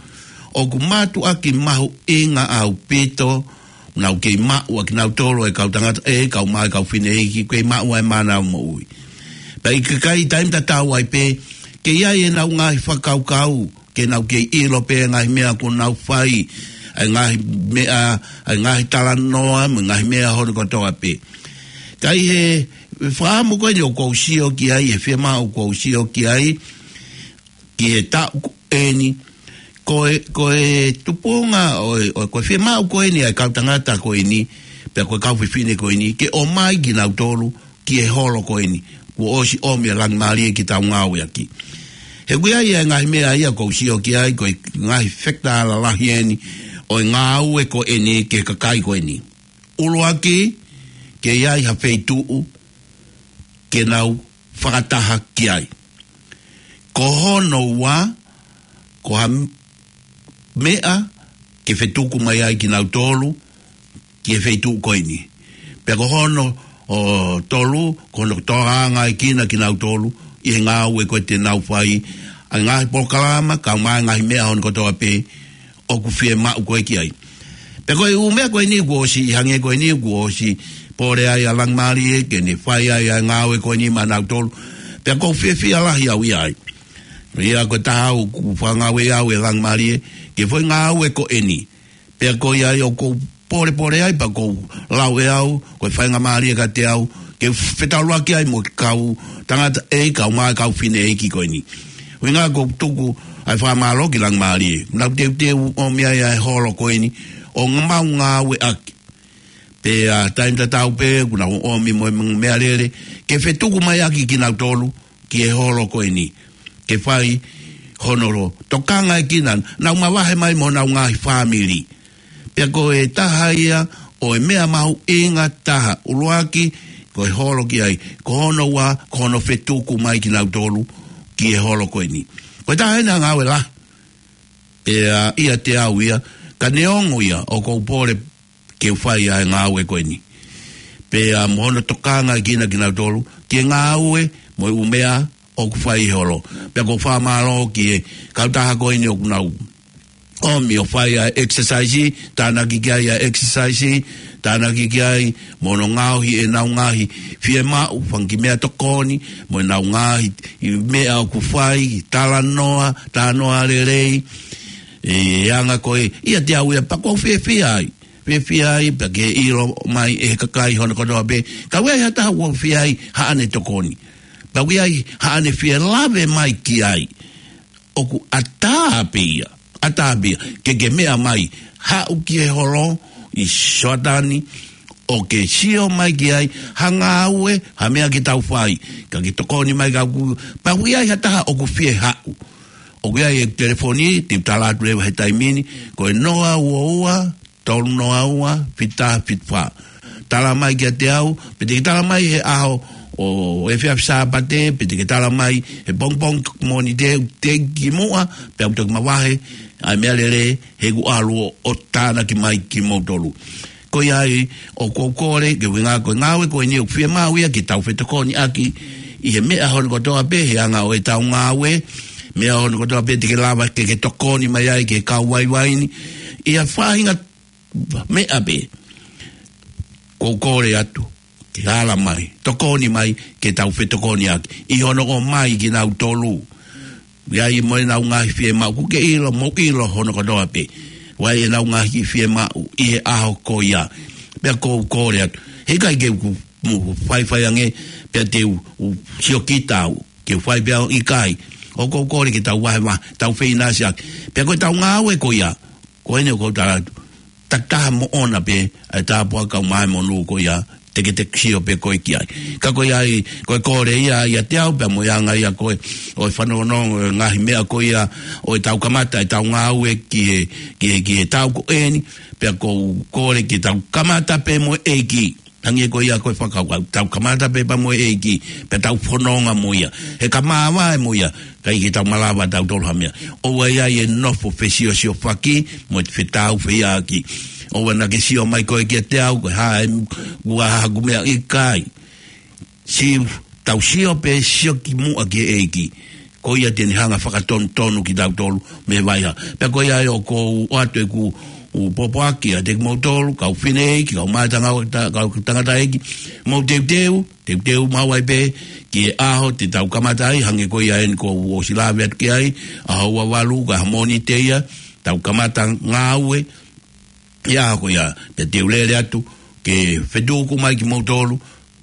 ʻoku mātuʻaki mahuʻinga ʻaupito, nau kei maʻu ʻa kinautolu e kau tangataʻeiki, kae ʻumaʻā e kau fineʻeiki, kei maʻu ʻa e mānava moʻui. Pea ʻikai ke ʻi ai taimi tatau ai pē, ke ʻi ai ʻenau ngaahi fakakaukau, ke nau kei ʻilo pē ngaahi meʻa kuo nau fai, ʻa e ngaahi meʻa, ʻa e ngaahi talanoa, mo e ngaahi meʻa hono kotoa pē. Ka ʻi he fakaʻamu ko eni ʻoku ou sio ki ai, he fiemaʻu ʻoku ou sio ki ai, ki he taʻu ko eni, ko e, ko e tupuʻanga ʻo e, ʻo e, ko e fiemaʻu ko eni ʻa e kau tangata ko eni, pea ko e kau fefine ko eni, ke ʻomai kinautolu, ki he holo ko eni, kuo ʻosi ʻomi ʻe Langimālie ke tau ngāueʻaki. He ʻoku ʻi ai e ngaahi meʻa ia ʻoku ou sio ki ai, ko e ngaahi fekitā lalahi eni, ʻo e ngāue ko eni ki he kakai ko eni. ʻUluaki, ke ʻi ai ha feituʻu, ke nau fakataha ki ai. Ko hono ua, ko ha m-, meʻa ke fetuku mai ai kinautolu ki he feituʻu ko eni. Pea ko hono, ʻo, tolu, ko hono tokanga ai kina kinautolu ʻi he ngāue ko ē te nau fai, ʻa e ngaahi polokalama, kae ʻumaʻā e ngaahi meʻa hono kotoa pē, ʻoku fiemaʻu ko ē ki ai. Pea ko e ʻū meʻa ko eni kuo ʻosi, ʻi hangē ko eni kuo ʻosi pole ai ʻa Langimālie, ke ne fai ai ʻa e ngāue ko eni maʻanautolu. Pea ʻoku ou fiefia lahi au ʻi ai. Ia ko e taha ʻoku fakangāue au ʻe Langimālie, ke fai ngāue ko eni. Pea ko ia ai ʻoku ou polepole ai, pea ʻoku ou lau ʻe au, ko e faingamālie kiate au, ke fetaulaki ai mo e kau tangataʻeiki, kae ʻumaʻā e kau fineʻeiki ko eni. ʻUhinga ʻoku ou tuku ai fakamālō ki Langimālie. Nau teuteu ʻomi ai ʻa e holo ko eni, ʻo mau ngāueʻaki. Pea taimi tatau pē, kuo nau ʻomi mo e meʻalele, ke fetuku mai ʻaki kinautolu, ki he holo ko eni. Ke fai hono lo, tokanga ʻe kinautolu, nau mavahe mai mo honau ngaahi fāmili. Pea ko e taha ia ʻo e meʻa mahuʻinga taha ʻuluaki, ko e holo ki ai, ko hono ua, ko hono fetuku mai kinautolu, ki he holo ko eni. Ko e taha eni ʻa e ngāue lahi. Pea ʻiate au ia, ka neongo ia, ʻoku ou pole ke u fai ʻa e ngāue ko eni. Pea mo hono tokanga kinautolu ki he ngāue mo e ʻū meʻa ʻoku fai ʻi he holo. Pea ʻoku ou fakamālō ki he kautaha ko eni ʻoku nau ʻomi ʻo fai ʻa e exercise, tānaki ki ai ʻa e exercise, tānaki ki ai mo hono ngaohi ʻenau ngaahi fiemaʻu, fanga kiʻi meʻatokoni, mo ʻenau ngaahi meʻa ʻoku fai, talanoa, talanoa lelei, ʻa e anga ko ē, ʻiate au ia pea ʻoku ou fiefia ai. Fiefia ai, pea ke ʻilo mai ʻe he kakai hono kotoa pē, ka ʻoku ʻi ai ha taha ʻoku fiefia ai haʻane tokoni. Pea ʻoku ʻi ai haʻane fie lave mai ki ai. ʻOku ʻatā pē ia, ʻatā pē ia, ke ke meʻa mai, haʻu ki he holo ʻi Soatani, ʻo ke sio mai ki ai, ha ngāue, ha meʻa ke tau fai, ka ke tokoni mai ka ku, pea ʻoku ʻi ai ha taha ʻoku fie haʻu. ʻOku ʻi ai e telefoni, te u tala atu leva he taimi ni, ko e noa ua ua, tolu noa ua, fitu taha fitu fā. Tala mai kiate au, pe te ke tala mai he ʻaho ʻo e efiafi Sāpate, pe te ke tala mai he pongipongi Mōnite, te u kimuʻa, pea u toki mavahe ʻa e meʻalele, he ʻoku ou ʻalu ʻo, ʻo tānaki mai kimoutolu. Ko ia ai, ʻoku ou kole, ke ʻuhinga ko e ngāue ko eni ʻoku fiemaʻu ia ke tau fetokoniʻaki ʻi he meʻa hono kotoa pē, he anga ʻo ʻetau ngāue, meʻa hono kotoa pē te ke lava ke ke tokoni mai ai ki he kau vaivai ni, ʻi ha faʻahinga meʻa pē, ʻoku ou kole atu, ke ala mai, tokoni mai, ke tau fetokoniʻaki, ʻi hono ʻomai kinautolu. ʻI ai mo ʻenau ngaahi fiemaʻu, ʻoku ke ʻilo, mou ʻilo hono kotoa pē. ʻOku ʻi ai ʻenau ngaahi fiemaʻu, ʻi he ʻaho ko ia. Pea ʻoku ou kole atu. Heʻikai ke u, mou faifai ange, pea te u, u siokita au. Ke u fai pē au ʻikai. ʻOku ou kole ke tau vahevahe, tau feinasiʻaki. Pea ko ʻetau ngāue ko ia. Ko eni ʻoku ou tala atu. Takitaha moʻona pē, ʻa e tāpuaki kae ʻumaʻā e monū ko ia, te ke te sio pē koe ki ai. Ka ko ia ai, ko e kole ia, ʻiate au, pea mo e anga ia ko ē, ʻo e fanongonongo, ʻo e ngaahi meʻa ko ia, ʻo ʻetau kamata, ʻetau ngāue ki he, ki he, ki he taʻu ko eni, pea ʻoku ou kole ke tau kamata pē mo e ʻEiki. Hangē ko ia ko e fakakaukau, tau kamata pē pea mo e ʻEiki, pea tau fononga mo ia. He ka māvae mo ia, ʻikai ke tau malava tautolu ha meʻa. ʻOua ʻe ʻi ai e nofo fesiosiofaki, mo e fetāufehiʻaki. ʻOua naʻa ke sio mai koe kiate au, ko e hā ʻeku, ʻoku ʻi ai haʻaku meʻa, ʻikai. Siʻi tau sio pē sio kimuʻa ki he ʻEiki. Ko ia te ne hanga fakatonutonu kitautolu mei he vaʻa. Pea ko ia ai ʻoku ou ʻoatu ʻeku ʻū pōpoaki ʻiate kimoutolu, kau fineʻeiki, kau mātanga, kau tangataʻeiki, mou teuteu, teuteu maʻu ai pē, ki he ʻaho te tau kamata ai, hangē ko ia eni ʻoku ou ʻosi lave atu ki ai, ʻaho ua valu, ko e Mōnite ia, tau kamata ngāue, ʻi he ʻaho ko ia, pea te u lele atu, ke fetuku mai kimoutolu,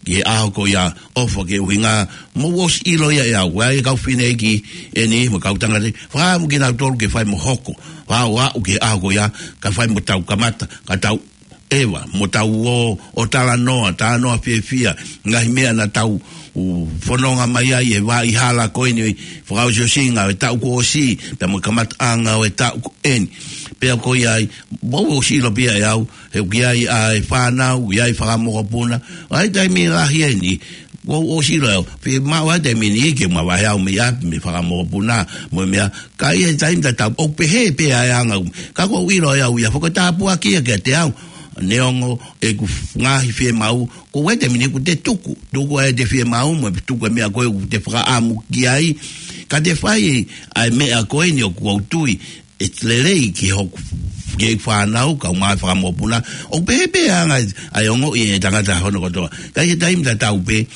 ki he ʻaho ko ia, ʻofa ke ʻuhinga, mou ʻosi ʻilo ia ʻe au, ʻa e kau fineʻeiki eni, mo e kau tangataʻeiki, fakaʻamu kinautolu ke fai mo hoko, fakaʻamu ki he ʻaho ko ia, ka fai mo tau kamata, ka tau ʻeva, mo tau ō, ʻo talanoa, talanoa fiefia, ngaahi meʻa naʻa tau, ʻū fononga mai ai, ʻi he vaʻa hala ko eni, fakaʻosiʻosinga, ʻo e taʻu kuo ʻosi, pea mo e kamataʻanga, ʻo e taʻu ko eni. Pea ko ia ai, mou ʻosi ʻilo pē ia ʻe au, he ʻoku ʻi ai ʻa e fānau, ʻi ai fakamokopuna, ʻa e taimi lahi eni, mou ʻosi ʻilo ʻe au, fiemaʻu ʻa e taimi ni ke mavahe au mei ʻapi, mei fakamokopuna, mo e meʻa, ka ʻi he taimi tatau, ʻoku pehē pē ʻa e anga, ka ʻoku ou ʻilo ʻe au ia, fakatāpuaki ia kiate au, neongo ʻeku ngaahi fiemaʻu, ko e taimi ni ʻoku te tuku, tuku ʻa e te fiemaʻu, mo tuku e meʻa ko ē ʻoku te fakaʻamu ki ai, ka te fai ʻa e meʻa ko eni ʻoku ou tui, ʻe lelei ki hoku, ki he fānau, kau mai fakamokopuna, ʻoku pehē pē ʻa e anga ʻa e ongoʻi ʻe he tangata hono kotoa. Ka ʻi he taimi tatau pē,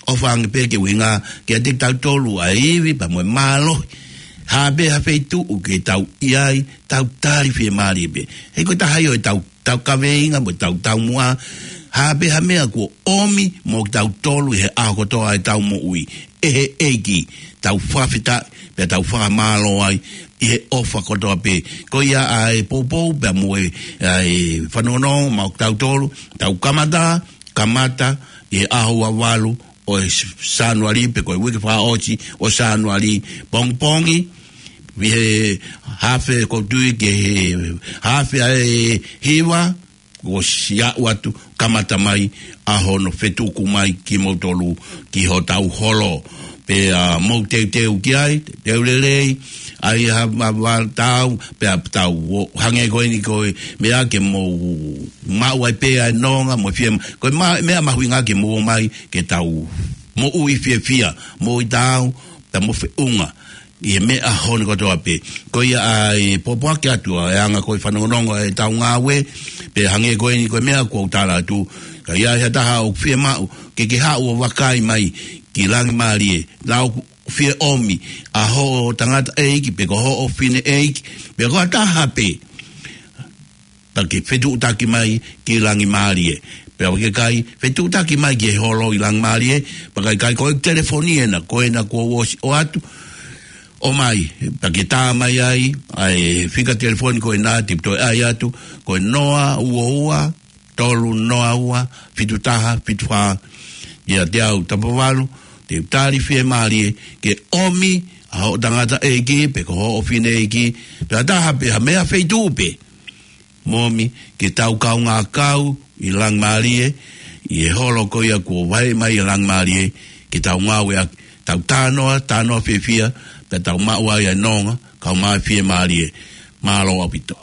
ʻofa ange pē ke ʻuhinga, kiate kitautolu ʻa e ivi, pea mo e mālohi. Ha pē ha feituʻu ke tau ʻi ai, tau tali fiemālie pē. He ko e taha ia ʻo ʻetau, tau kaveinga, mo ʻetau taumuʻa. Ha pē ha meʻa kuo ʻomi, mo kitautolu ʻi he ʻaho kotoa ʻetau moʻui. ʻE he ʻEiki, tau fakafetaʻi, pea tau fakamālō ai, ʻi he ʻofa kotoa pē. Ko ia ʻa e poupou, pea mo e, ʻa e fanongonongo, maʻa kitautolu, tau kamata, kamata, ʻi he ʻaho ua valu, ʻo e Sānuali pe ko e uike fakaʻosi ʻo Sānuali pongipongi, ʻi he haafe ʻoku ou tui ke he haafe ʻa e hiva, ʻosi aʻu atu kamata mai ʻa hono fetuku mai kimoutolu ki hotau holo. Pea mou teuteu ki ai, teuteu lelei, ʻai ha ma-, ma-, tau, pea tau ō, hangē ko eni ko e meʻa ke mou maʻu ai pē ʻa e nonga, mo fie ma-, ko e ma-, meʻa mahuʻinga ke mou ō mai, ke tau moʻui fiefia, moʻui taau, pea mo feʻunga ʻi he meʻa hono kotoa pē. Ko ia ai pōpoaki atu ʻa e anga ko e fanongonongo ʻetau ngāue, pea hangē ko eni ko e meʻa kuo u tala atu, ka ʻi ai ha taha ʻoku fiemaʻu ke ke haʻu ʻo vakai mai ki Langimālie, lau fie ʻomi ʻa hoʻo tangataʻeiki, pe ko hoʻo fineʻeiki, pe ko ha taha pē, pea ke fetuʻutaki mai ki Langimālie. Pea ʻoku ʻikai, fetuʻutaki mai ki he holo ʻi Langimālie, pea ka ʻikai ko e telefoni ena, ko ena kuo u ʻosi ʻoatu, ʻomai, pea ke tā mai ai ʻa e fika telefoni ko ena te u toe ʻai atu, ko e noa ua ua, tolu noa ua, fitu taha, fitu fā, ʻiate au Tapavalu, te u tali fiemālie ke ʻomi ʻa hoʻo tangataʻeiki, pe ko hoʻo fineʻeiki, pe ha taha pē ha meʻa feituʻu pē, mo ʻomi ke tau kaungā kau ʻi Langimālie, ʻi he holo ko ia kuo vaheʻi mai ʻi Langimālie, ke tau ngāueʻaki, tau talanoa, talanoa fiefia, pea tau maʻu ai ʻa e nonga, kae ʻumaʻā e fiemālie. Mālō ʻaupito.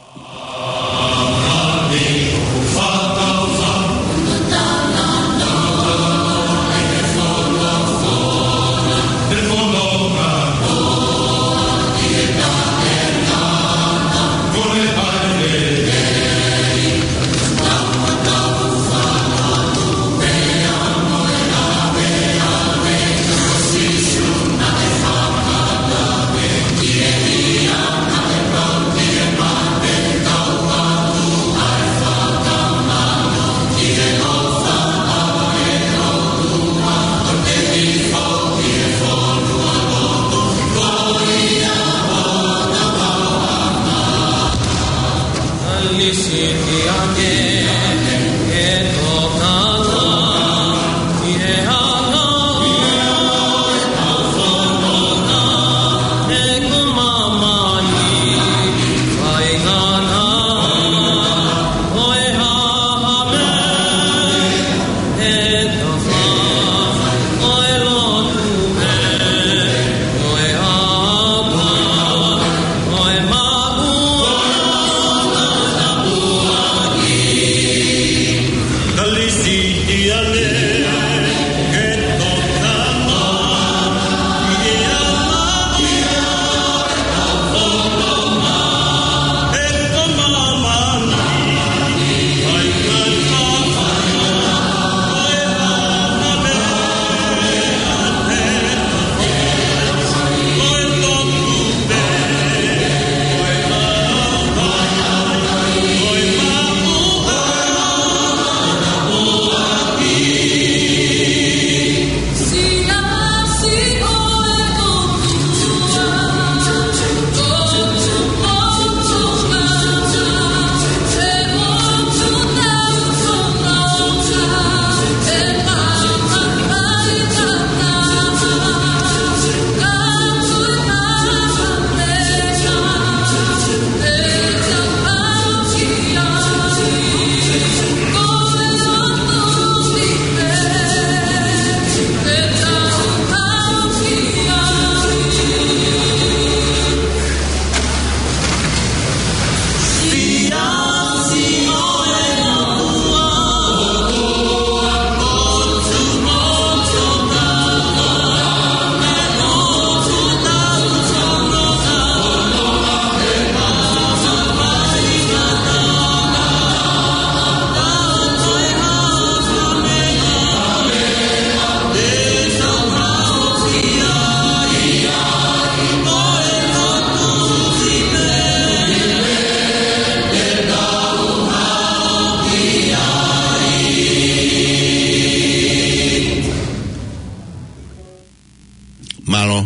Mālō.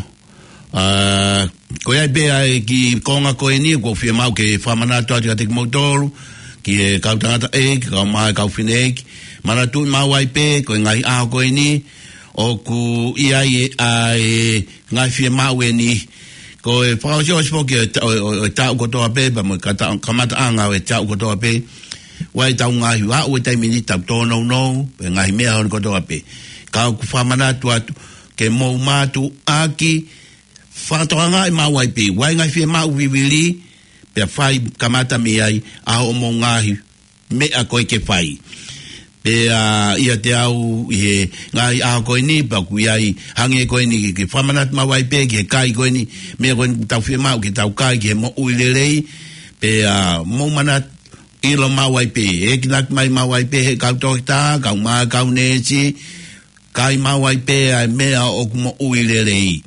ʻA, ko ia pē ʻa e kiʻi konga ko eni, ʻoku ou fiemaʻu ke fakamanatu atu kiate kimoutolu, ki he kau tangataʻeiki, kae ʻumaʻā e kau fineʻeiki. Manatuʻi maʻu ai pē, ko e ngaahi ʻaho ko eni, ʻoku ʻi ai ʻa e ngaahi fiemaʻu eni. Ko e fakaʻosiʻosi foki ʻo e ta-, ʻo, ʻo, ʻo e taʻu kotoa pē, pea mo e kata-, kamataʻanga ʻo e taʻu kotoa pē. ʻOku ʻi ai ʻetau ngaahi vaʻu ʻi he taimi ni, ʻetau tōnounou, pea ngaahi meʻa hono kotoa pē. Ka ʻoku fakamanatu atu, ke mou mātuʻaki fakatokangaʻi maʻu ai pē ʻa e ngaahi fiemaʻu vivili, pea fai kamata mei ai ʻa hoʻomou ngaahi meʻa ko ē ke fai. Pea ʻiate au ʻi he ngaahi ʻaho ko eni, pea ʻoku ʻi ai hangē ko eni ke, ke fakamanatu maʻu ai pē ki he kai ko eni, meʻa ko eni ʻoku tau fiemaʻu ke tau kai ki he moʻui lelei, pea mou manatu ʻilo maʻu ai pē, ʻekeʻi mai maʻu ai pē ʻe he kau toketā, kau mā, kau neesi, kai maʻu ai pē ʻa e meʻa ʻoku moʻui lelei.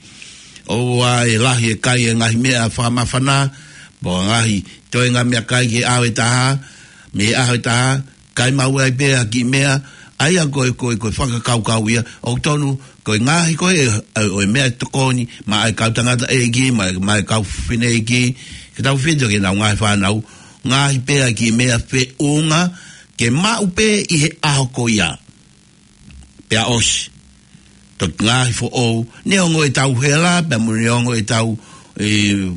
ʻOua ʻe lahi e kai e ngaahi meʻa fakamāfana, mo e ngaahi toenga meʻakai ki he ʻaho ʻe taha, mei he ʻaho ʻe taha, kai maʻu ai pē ʻa e kiʻi meʻa, ʻa ia ko e, ko e, ko e fakakaukau ia, ʻoku tonu, ko e ngaahi ko ē, ʻa e, ʻo e meʻa tokoni, maʻa e kau tangataʻeiki, maʻa, maʻa e kau fineʻeiki, ke tautefito ki heʻenau ngaahi fānau, ngaahi pē ʻa e kiʻi meʻa feʻunga, ke maʻu pē ʻi he ʻaho ko ia. Pea ʻosi. Toki ngaahi foʻou, neongo ʻetau hela, pea mo neongo ʻetau, ʻe,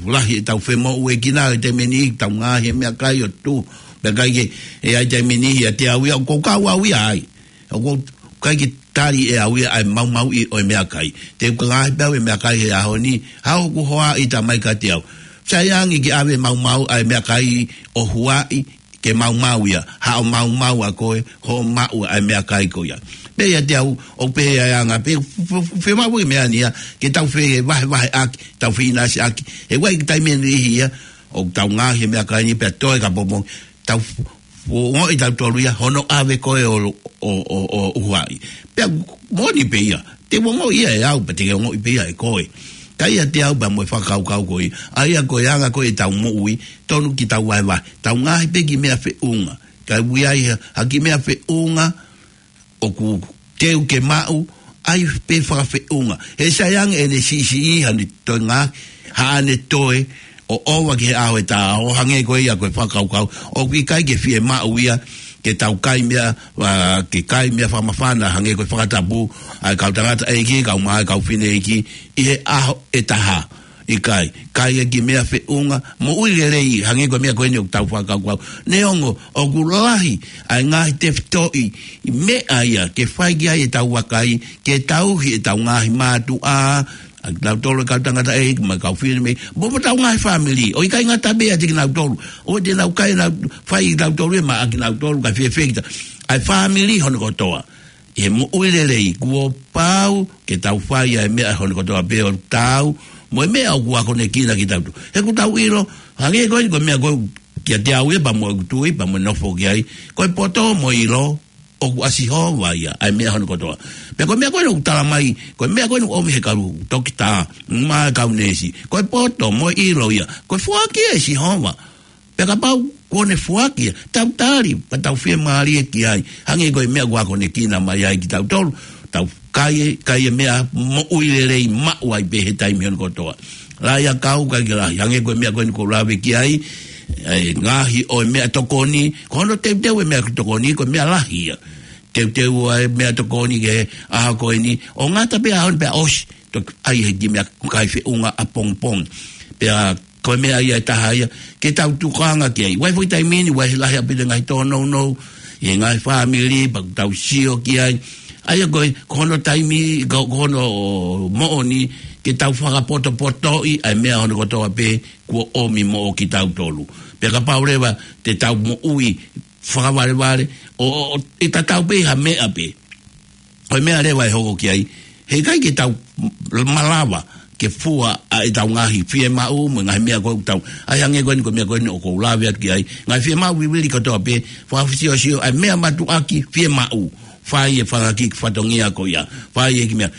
lahi ʻetau femoʻuekina, ʻi he taimi ni, tau ngaahi e meʻakai ʻo tuʻu. Pea ʻikai ke, ʻe ʻi ai taimi ni, ʻiate au ia, ʻoku ou kau au ia ai. ʻOku ou, ʻikai ke tali ʻe au ia ʻa e maumauʻi ʻo e meʻakai. Te u ngaahi pē au e meʻakai he ʻaho ni, haʻaku hoa ʻi tamai kiate au. Sai ange ke ʻave maumau ʻa e meʻakai ʻo huaʻi, ke maumau ia, haʻo maumau ʻa koe, hoʻo maʻu ʻa e meʻakai ko ia. Pea ʻiate au, ʻoku pehē ʻa e anga, pea f-, f-, f-, fiemaʻu e meʻa ni ia, ke tau fevahevaheʻaki, tau feʻinasiʻaki, he ʻoku ʻi ai e taimi ʻe niʻihi ia, ʻoku tau ngaahi e meʻakai ni pea toe ka pomo, tau f-, f-, ongoʻi tautolu ia, hono ʻave koe ʻo, ʻo, ʻo, ʻo huaʻi. Pea moʻoni pē ia, te u ongoʻi ia ʻe au, pea te ke ongoʻi pē ia ʻe koe. Ka ʻiate au pea mo e fakakaukau ko ia, ʻa ia ko e anga ko ē ʻetau moʻui, tonu ke tau vahevahe, tau ngaahi pē kiʻi meʻa feʻunga. Ka ʻi ai ha, ha kiʻi meʻa feʻunga, ʻoku teu ke maʻu, ʻai pē fakafeʻunga. He sai ange ʻene siʻisiʻi haʻane toe ngaahi, haʻane toe, ʻo ʻova ki he ʻaho ʻe taha, ʻo hangē ko ia ko e fakakaukau, ʻoku ʻikai ke fiemaʻu ia, ke tau kai meʻa, ʻa, ke kai meʻa fakamāfana, hangē ko e fakatapu, ʻa e kau tangataʻeiki, kau mā, kau fineʻeiki, ʻi he ʻaho ʻe taha. ʻIkai, kai e kiʻi meʻa feʻunga, moʻui lelei, hangē ko e meʻa ko eni ʻoku tau fakakaukau. Neongo, ʻoku lahi, ʻa e ngaahi tefitoʻi, meʻa ia, ke fai ki ai ʻetau vakai, ke tauhi ʻetau ngaahi mātuʻa, ʻa kinautolu e kau tangataʻeiki, mo e kau fineʻeiki, mo, mo ʻetau ngaahi fāmili, ʻo ʻikai ngata pē ʻiate kinautolu, ʻoua te nau kai nau fai kitautolu ia maʻa kinautolu, kae fēfē kita. ʻA e fāmili hono kotoa. ʻI he moʻui lelei, kuo pau ke tau fai ʻa e meʻa hono kotoa pē ʻo tau, mo e meʻa ʻoku akonekina kitautolu. He ʻoku tau ʻilo, hangē ko eni ko e meʻa ko ē kiate au ia pea mo ʻeku tui, pea mo e nofo ki ai, ko e poto mo e ʻilo, ʻoku ʻa Sihova ia, ʻa e meʻa hono kotoa. Pea ko e meʻa ko eni ʻoku tala mai, ko e meʻa ko eni ʻoku ʻomi he kau toketā, mo e kau neesi. Ko e poto mo e ʻilo ia, ko e foaki ʻe Sihova. Pea kapau kuo ne foaki ia, tau tali, pea tau fiemālie ki ai. Hangē ko e meʻa ʻoku akonekina mai ai kitautolu, tau kai e, kai e meʻa moʻui lelei maʻu ai pē he taimi hono kotoa. Lahi ʻa e kau, ʻikai ke lahi, hangē ko e meʻa ko eni ʻoku ou lave ki ai, ʻa e ngaahi ʻo e meʻatokoni, ko hono teuteu e meʻatokoni, ko e meʻa lahi ia. Teuteu ʻa e meʻatokoni ki he ʻaho ko eni, ʻo ngata pē ʻaho ni pea ʻosi, toki ʻai he kiʻi meʻakai feʻunga ʻapongipongi. Pea ko e meʻa ia ʻe taha ia, ke tau tokanga ki ai. ʻOku ʻi ai foki taimi ni, ʻoku ʻi ai lahi ʻaupito e ngaahi tōnounou, ʻi he ngaahi fāmili, pea ʻoku tau sio ki ai. ʻA ia ko e, ko hono taimi, ko, ko hono moʻoni, ke tau fakapotopotoʻi, ʻa e meʻa hono kotoa pē, kuo ʻomi moʻo kitautolu. Pea kapau leva, te tau moʻui, fakavalevale, ʻo, ʻo, ʻo, ʻe tatau pē ha meʻa pē. Ko e meʻa leva ʻe hoko ki ai, he ʻikai ke tau malava ke fua ʻa ʻetau ngaahi fiemaʻu mo e ngaahi meʻa ko ē ʻoku tau. ʻAi hangē ko eni ko e meʻa ko eni ʻoku ou lave atu ki ai. Ngaahi fiemaʻu vivili kotoa pē, fakafisiosio, ʻa e meʻa mātuʻaki fiemaʻu. Fai e fanga kiʻi fatongia ko ia. Fai e kiʻi meʻa.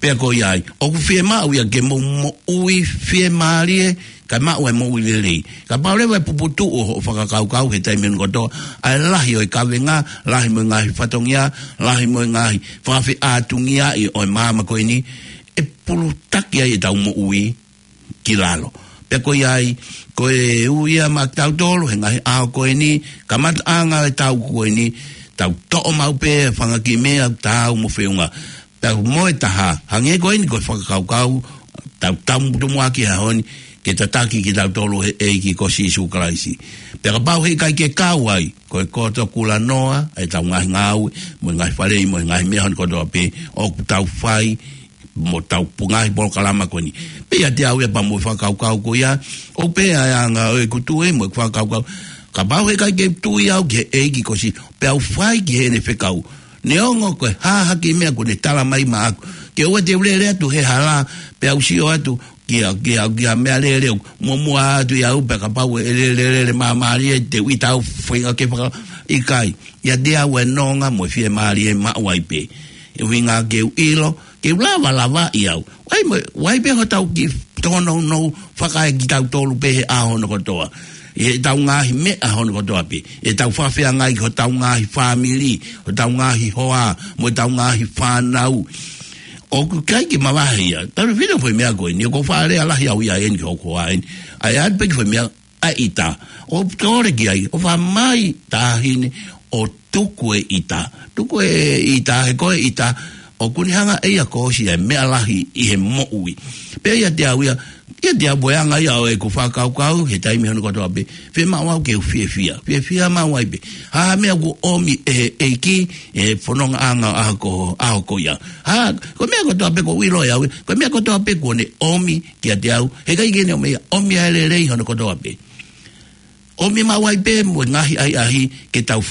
Pea ko ia ai, ʻoku fiemaʻu ia ke mou moʻui fiemālie, kae maʻu e moʻui lelei. Kapau leva ʻe puputuʻu hoʻo fakakaukau he taimi hono kotoa, ʻa e lahi ʻo e kavenga, lahi mo e ngaahi fatongia, lahi mo e ngaahi fakafeʻātungiaʻi ʻo e māmani ko eni, ʻe pulutaki ai ʻetau moʻui ki lalo. Pea ko ia ai, ko e ui ia maʻa kitautolu, he ngaahi ʻaho ko eni, kamataʻanga ʻetau ko eni, tau toʻo maʻu pē fanga kiʻi meʻa, tau mo feʻunga. Pea mo e taha, hangē ko eni ko e fakakaukau, tau, tau mutu muʻa ki he ʻaho ni, ke tataki kitautolu he ʻEiki ko Sīsū Kalaisi. Pea kapau he ʻikai ke kau ai, ko e koto kulanoa, ʻetau ngaahi ngāue, mo e ngaahi faleʻi, mo e ngaahi meʻa hono kotoa pē, ʻoku tau fai, mo ʻetau ngaahi polokalama ko eni. Pea ʻiate au ia pea mo e fakakaukau ko ia, ʻoku pehē ʻa e anga ʻo ʻeku tui mo ʻeku fakakaukau. Kapau heʻikai ke u tui au ki he ʻEiki ko Sīsū, pea u fai ki heʻene fekau. Neongo ko e hā ha kiʻi meʻa kuo ne tala mai maʻaku, ke ʻoua te u lele atu he hala, pea u sio atu ki ha, ki ha, ki ha meʻalele ʻoku muʻomuʻa atu ia au, pea kapau ʻe lele, lele māmālie, te u ʻita au feinga ke faka-, ʻikai. ʻIate au e nonga mo e fiemālie maʻu ai pē. ʻUhinga ke u ʻilo, ke u lava lavaʻi au. ʻOku ʻi ai mo, ʻoku ʻi ai pē hotau kiʻi tōnounou fakaekitautolu pē he ʻaho hono kotoa. ʻI heʻetau ngaahi meʻa hono kotoa pē. ʻEtau fakafeangai ki hotau ngaahi fāmili, hotau ngaahi hoa, mo ʻetau ngaahi fānau. ʻOku ʻikai ke mavahe ia. Talu fino foʻi meʻa ko eni, ʻoku ou faʻa lea lahi au ia eni ki hoku hoa eni. ʻAi atu pē ki foʻi meʻa, ʻa e ʻita. ʻOku ou kole ki ai, ʻo fai mai taʻahine, ʻo tuku e ʻita. Tuku e ʻita, he ko e ʻita, ʻoku ne hanga ʻe ia ʻo ʻosi ʻa e meʻa lahi ʻi he moʻui. Pea ʻiate au ia, ʻiate au pē ʻa e anga ia ʻo ʻeku fakakaukau, he taimi hono kotoa pē, fiemaʻu au ke u fiefia. Fiefia maʻu ai pē. Ha meʻa kuo ʻomi ʻe he ʻEiki, ʻi he fonongaʻanga ʻo e ʻaho ko, ʻaho ko ia. Ha, ko e meʻa kotoa pē ʻoku ou ʻilo ʻe au, ko e meʻa kotoa pē kuo ne ʻomi kiate au, heʻikai ke ne ʻomi ia, ʻomi ʻa e lelei hono kotoa pē. ʻOmi maʻu ai pē mo e ngaahi ʻahiʻahi ke tau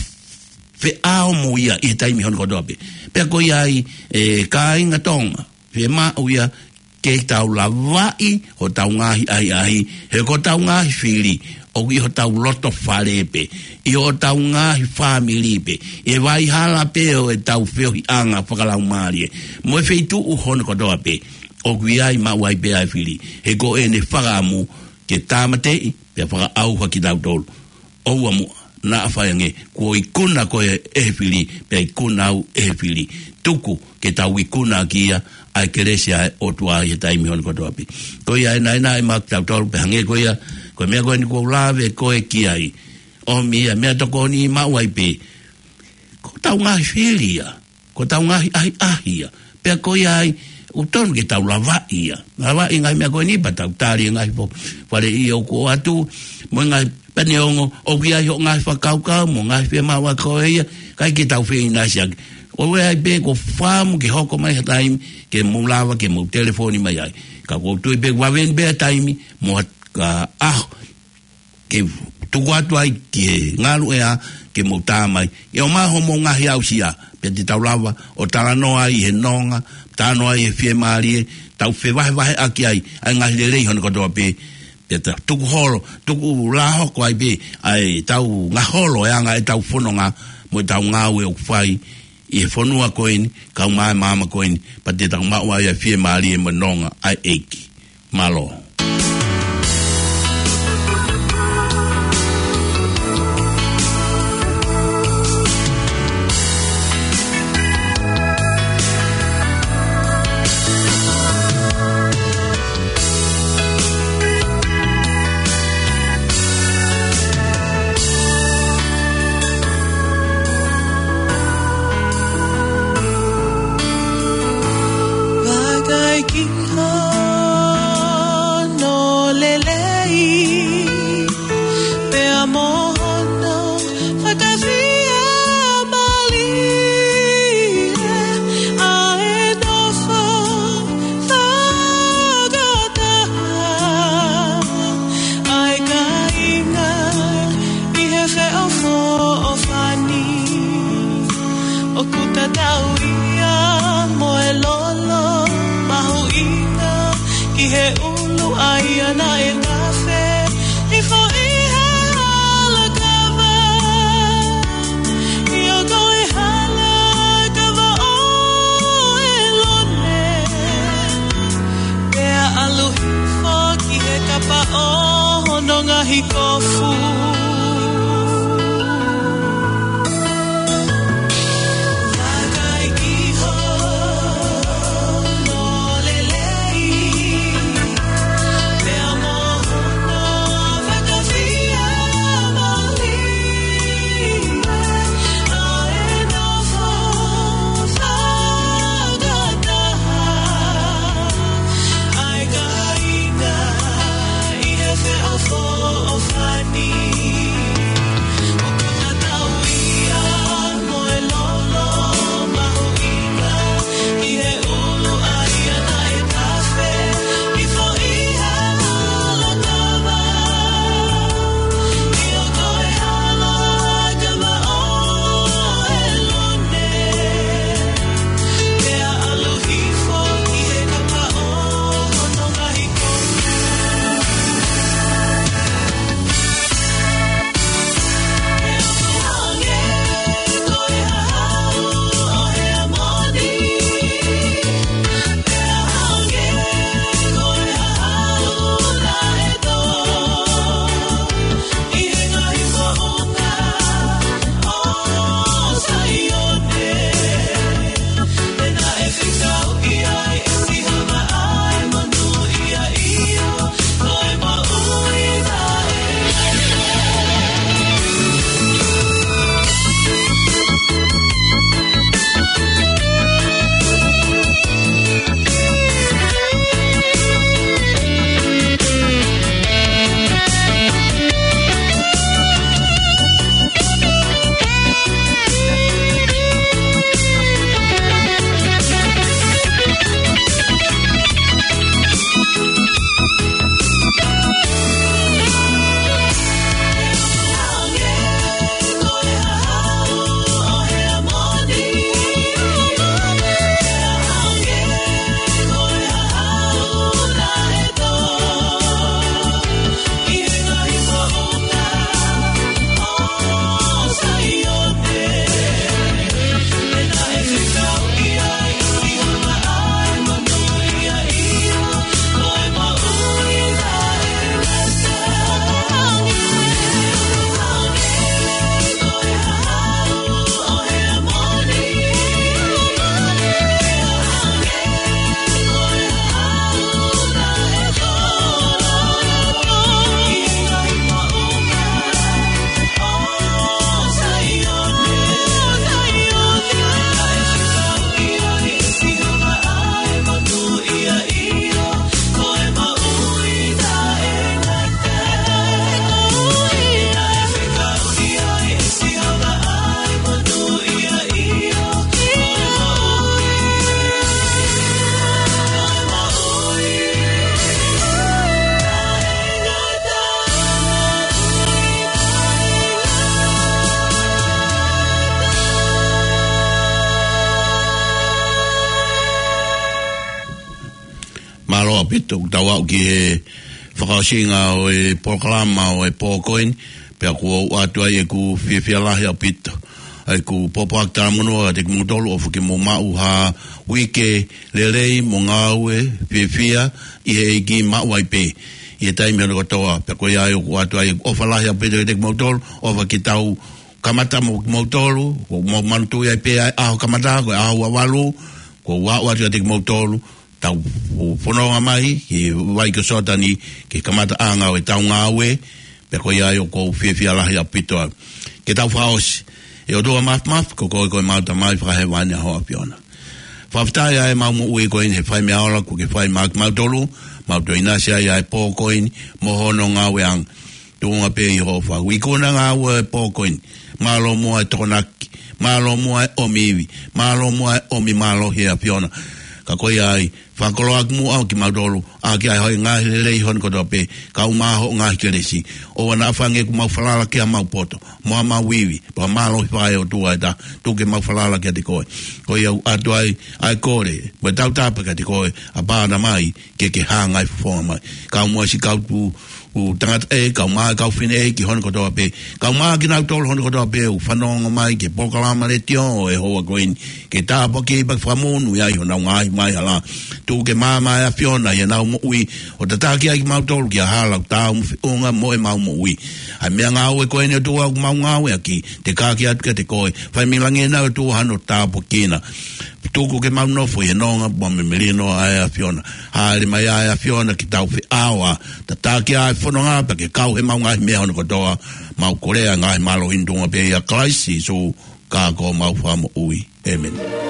feʻao mo ia ʻi he taimi hono kotoa pē. Pea ko ia ai, ʻe kāinga Tonga, fiemaʻu ia ke tau lavaʻi hotau ngaahi ʻahiʻahi, he ko hotau ngaahi fili, ʻoku ʻi hotau loto fale pē, ʻi hotau ngaahi fāmili pē, ʻi he vai hala pē ʻo ʻetau feohiʻanga fakalaumālie, mo e feituʻu hono kotoa pē, ʻoku ʻi ai maʻu ai pē ʻa e fili, he ko ʻene fakaʻamu ke tāmateʻi, pea fakaʻauha kitautolu. ʻOua muʻa naʻa fai ange, kuo ikuna koe ʻe he fili, pea ikuna au ʻe he fili. Tuku ke tau ikuna ʻaki ia ʻa e kelesi ʻa e ʻOtua ʻi he taimi hono kotoa pē. Ko ia ʻe naʻinaʻi maʻa kitautolu pē hangē ko ia, ko e meʻa ko eni kuo u lave ko ē ki ai. ʻOmi ia meʻatokoni maʻu ai pē. Ko hotau ngaahi fili ia. Ko hotau ngaahi ʻahiʻahi ia. Pea ko ia ai, ʻoku tonu ke tau lavaʻi ia. Lavaʻi ngaahi meʻa ko eni pea tau tali ngaahi fo-, fale ʻi ʻoku ʻoatu, mo e ngaahi pea neongo, ʻoku ʻi ai hoʻo ngaahi fakakaukau, mo e ngaahi fiemaʻu ʻa koe ia, ʻikai ke tau feʻinasiʻaki. ʻOku ʻi ai pē ko e fakaʻamu ke hoko mai ha taimi, ke mou lava, ke mou telefoni mai ai. Ka ʻoku ou tui pē vave eni pē ʻa e taimi, mo ha, ka ʻaho, ke tuku atu ai ki he ngaluʻea ke mou tā mai. ʻE ʻomai hoʻomou ngaahi aʻusia, pea te tau lava ʻo talanoa ai he nonga, talanoa ai he fiemālie, tau fevahevaheʻaki ai, ʻa e ngaahi lelei hono kotoa pē, pea tau tuku holo, tuku lāhoko ai pē, ʻa ʻetau ngaholo e anga ʻetau fononga, mo ʻetau ngāue ʻoku fai, ʻi he fonua ko eni, kae ʻumaʻā e māmani ko eni, pea te tau maʻu ai ʻa e fiemālie mo e nonga ʻa e ʻEiki. Mālō. Vakai ki hono lelei, pea mo hono fakafiemālie, ʻa e nofo fakataha, ʻa e kāinga ʻi he feʻofoʻofani. ʻOku tatau ia mo e lolo mahuʻinga ki he ʻulu ʻa ia naʻe tafe hifo ʻi he hala kava. ʻIo, ko e hala kava ʻo ʻĒlone, pea ʻalu hifo ki he kapa ʻo hono ngaahi kofu. Vakai ki hono lelei, pea mo hono fakafiemālie, ʻa e nofo fakataha, ʻa e kāinga ʻi he feʻofoʻofani. Mālō ʻaupito, tau aʻu ki he fakaʻosinga ʻo e polokalama ʻo e pō ko eni, pea ʻoku ou ʻoatu ai ʻeku fiefia lahi ʻaupito. ʻEku pōpoaki talamonū kiate kimoutolu ʻofa ke mou maʻu ha uike lelei mo ngāue fiefia ʻi he ʻEiki maʻu ai pē ʻi he taimi hono kotoa, pea ko ia ai ʻoku ou ʻoatu ai ʻeku ʻofa lahi ʻaupito kiate kimoutolu, ʻofa ke tau kamata mo kimoutolu, ʻoku mou manatuʻi ai pē ʻa e ʻaho kamata, ko e ʻaho ua valu, ʻoku ou ʻoatu kiate kimoutolu, tau fononga mai ki he vai ko Soatani, ki he kamataʻanga ʻo ʻetau ngāue, pea ko ia ai ʻoku ou fiefia lahi ʻaupito ai. Ke tau fakaʻosi. ʻE ʻOtua Māfimafi, ko koe ko ʻemau Tamai Fakahēvani, ʻa ho ʻAfiona. Fakafetaʻi ʻa ʻemau moʻui ko eni he fai meʻa ola kuo ke fai maʻa kimautolu, mau toe ʻinasi ai ʻa e pō ko eni, mo hono ngāueʻanga. Tuʻunga pē ʻi hoʻo fau. Ikuna ngāue ʻo e pō ko eni. Mālō muʻa e tokonaki. Mālō muʻa e ʻomi ivi. Mālō muʻa e ʻomi mālohi ʻe ʻAfiona. Ka ko ia ai, fakakoloaʻaki muʻa ʻa kimautolu, ʻaki ʻa e hoʻo ngaahi lelei hono kotoa pē, kae ʻumaʻā hoʻo ngaahi kelesi. ʻOua naʻa fai ange kuo mau falala ki haʻamau poto, mo haʻamau ivi, pea mālohi fakaʻotua ʻe taha, tuku ke mau falala kiate koe. Ko ia ʻoku ʻoatu ai ʻa e kole, mo e tautapa kiate koe, ʻApā Tamai, ke ke hanga ʻo fofonga mai. Kau muʻa siʻi kau tuʻu, ʻū tangataʻeiki, kau mā, kau fineʻeiki hono kotoa pē. Kau mā kinautolu hono kotoa pē ʻoku fanongo mai ki he polokalama letiō ʻo e houa ko eni. Ke tāpuakiʻi pea fakamonūʻia ʻi honau ngaahi maʻuhala. Tuku ke maama ʻe ʻAfiona ʻi heʻenau moʻui. ʻO tataki ai kimautolu ki ha hala ʻoku taau mo feʻunga mo ʻemau moʻui. ʻA e meʻangāue ko eni ʻOtua ʻoku mau ngāueʻaki. Te ke kake atu kiate koe. Fai mei langi ʻEna ʻOtua hano tāpuekina. Tuku ke mau nofo ʻi he nonga mo e melino ʻa e ʻAfiona. Hāʻele mai ʻa e ʻAfiona ke tau feʻao ʻa tataki ʻa e fononga pea ke kau heʻemau ngaahi meʻa hono kotoa. Mau kole ʻa e ngaahi mālohi ni tuʻunga pē ʻia Kalaisi Sīsū ko homau Fakamoʻui. ʻĒmeni.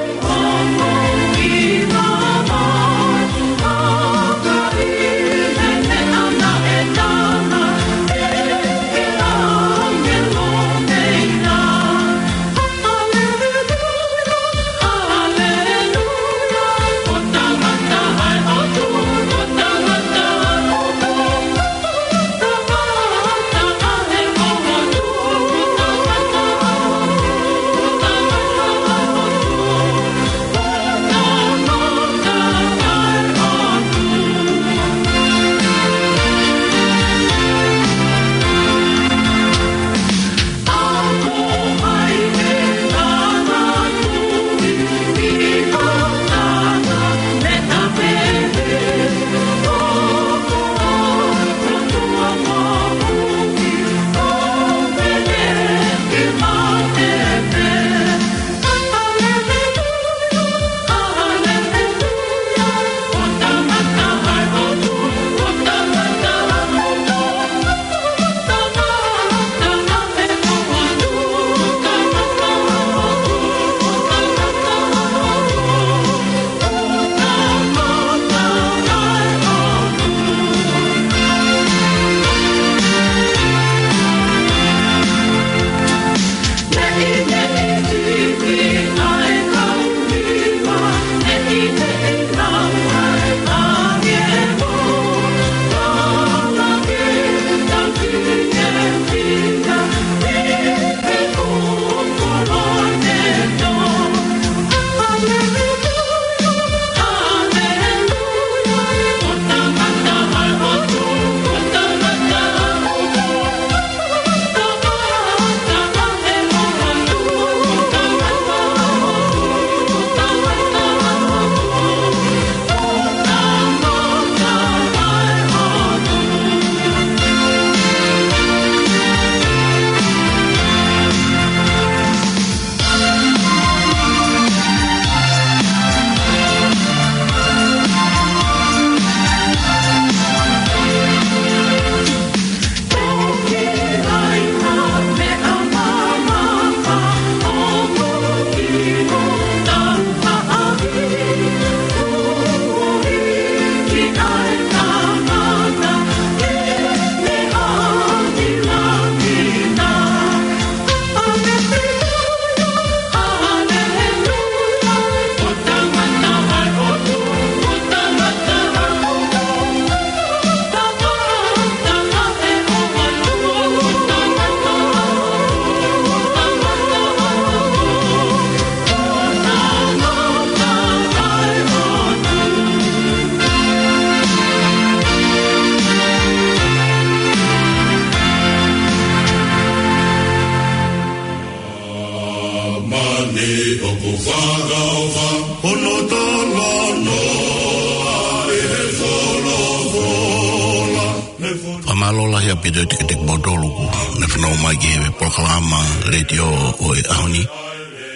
Mālō lahi ʻaupito kiate kimoutolu kuo ne fanongo mai ki he polokalama letiō ʻo e ʻaho ni.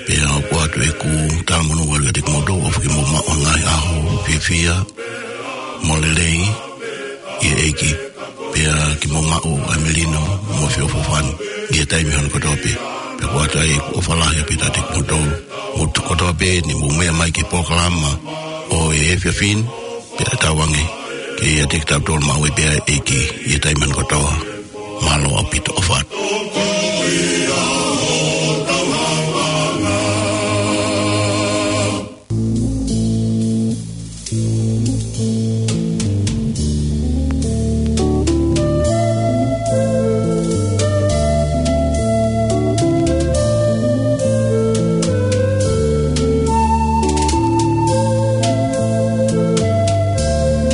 Pea ʻoku ʻoatu ʻeku talamonū ʻalu kiate kimoutolu ʻofa ke mou maʻu ha ngaahi ʻaho fiefia mo lelei ʻi he ʻEiki. Pea ke mou maʻu ʻa e melino mo e feʻofoʻofani ʻi he taimi hono kotoa pē. Pea ʻoku ʻoatu ai ʻeku ʻofa lahi ʻaupito kiate kimoutolu. Mou tuʻu kotoa pē ʻeni mou meʻa mai ki he polokalama ʻo e efiafi ni. Pea tauange ke ʻiate kitautolu maʻu ai pē ʻa e ʻEiki ʻi he taimi hono kotoa. Mālō ʻaupito, ʻofa atu.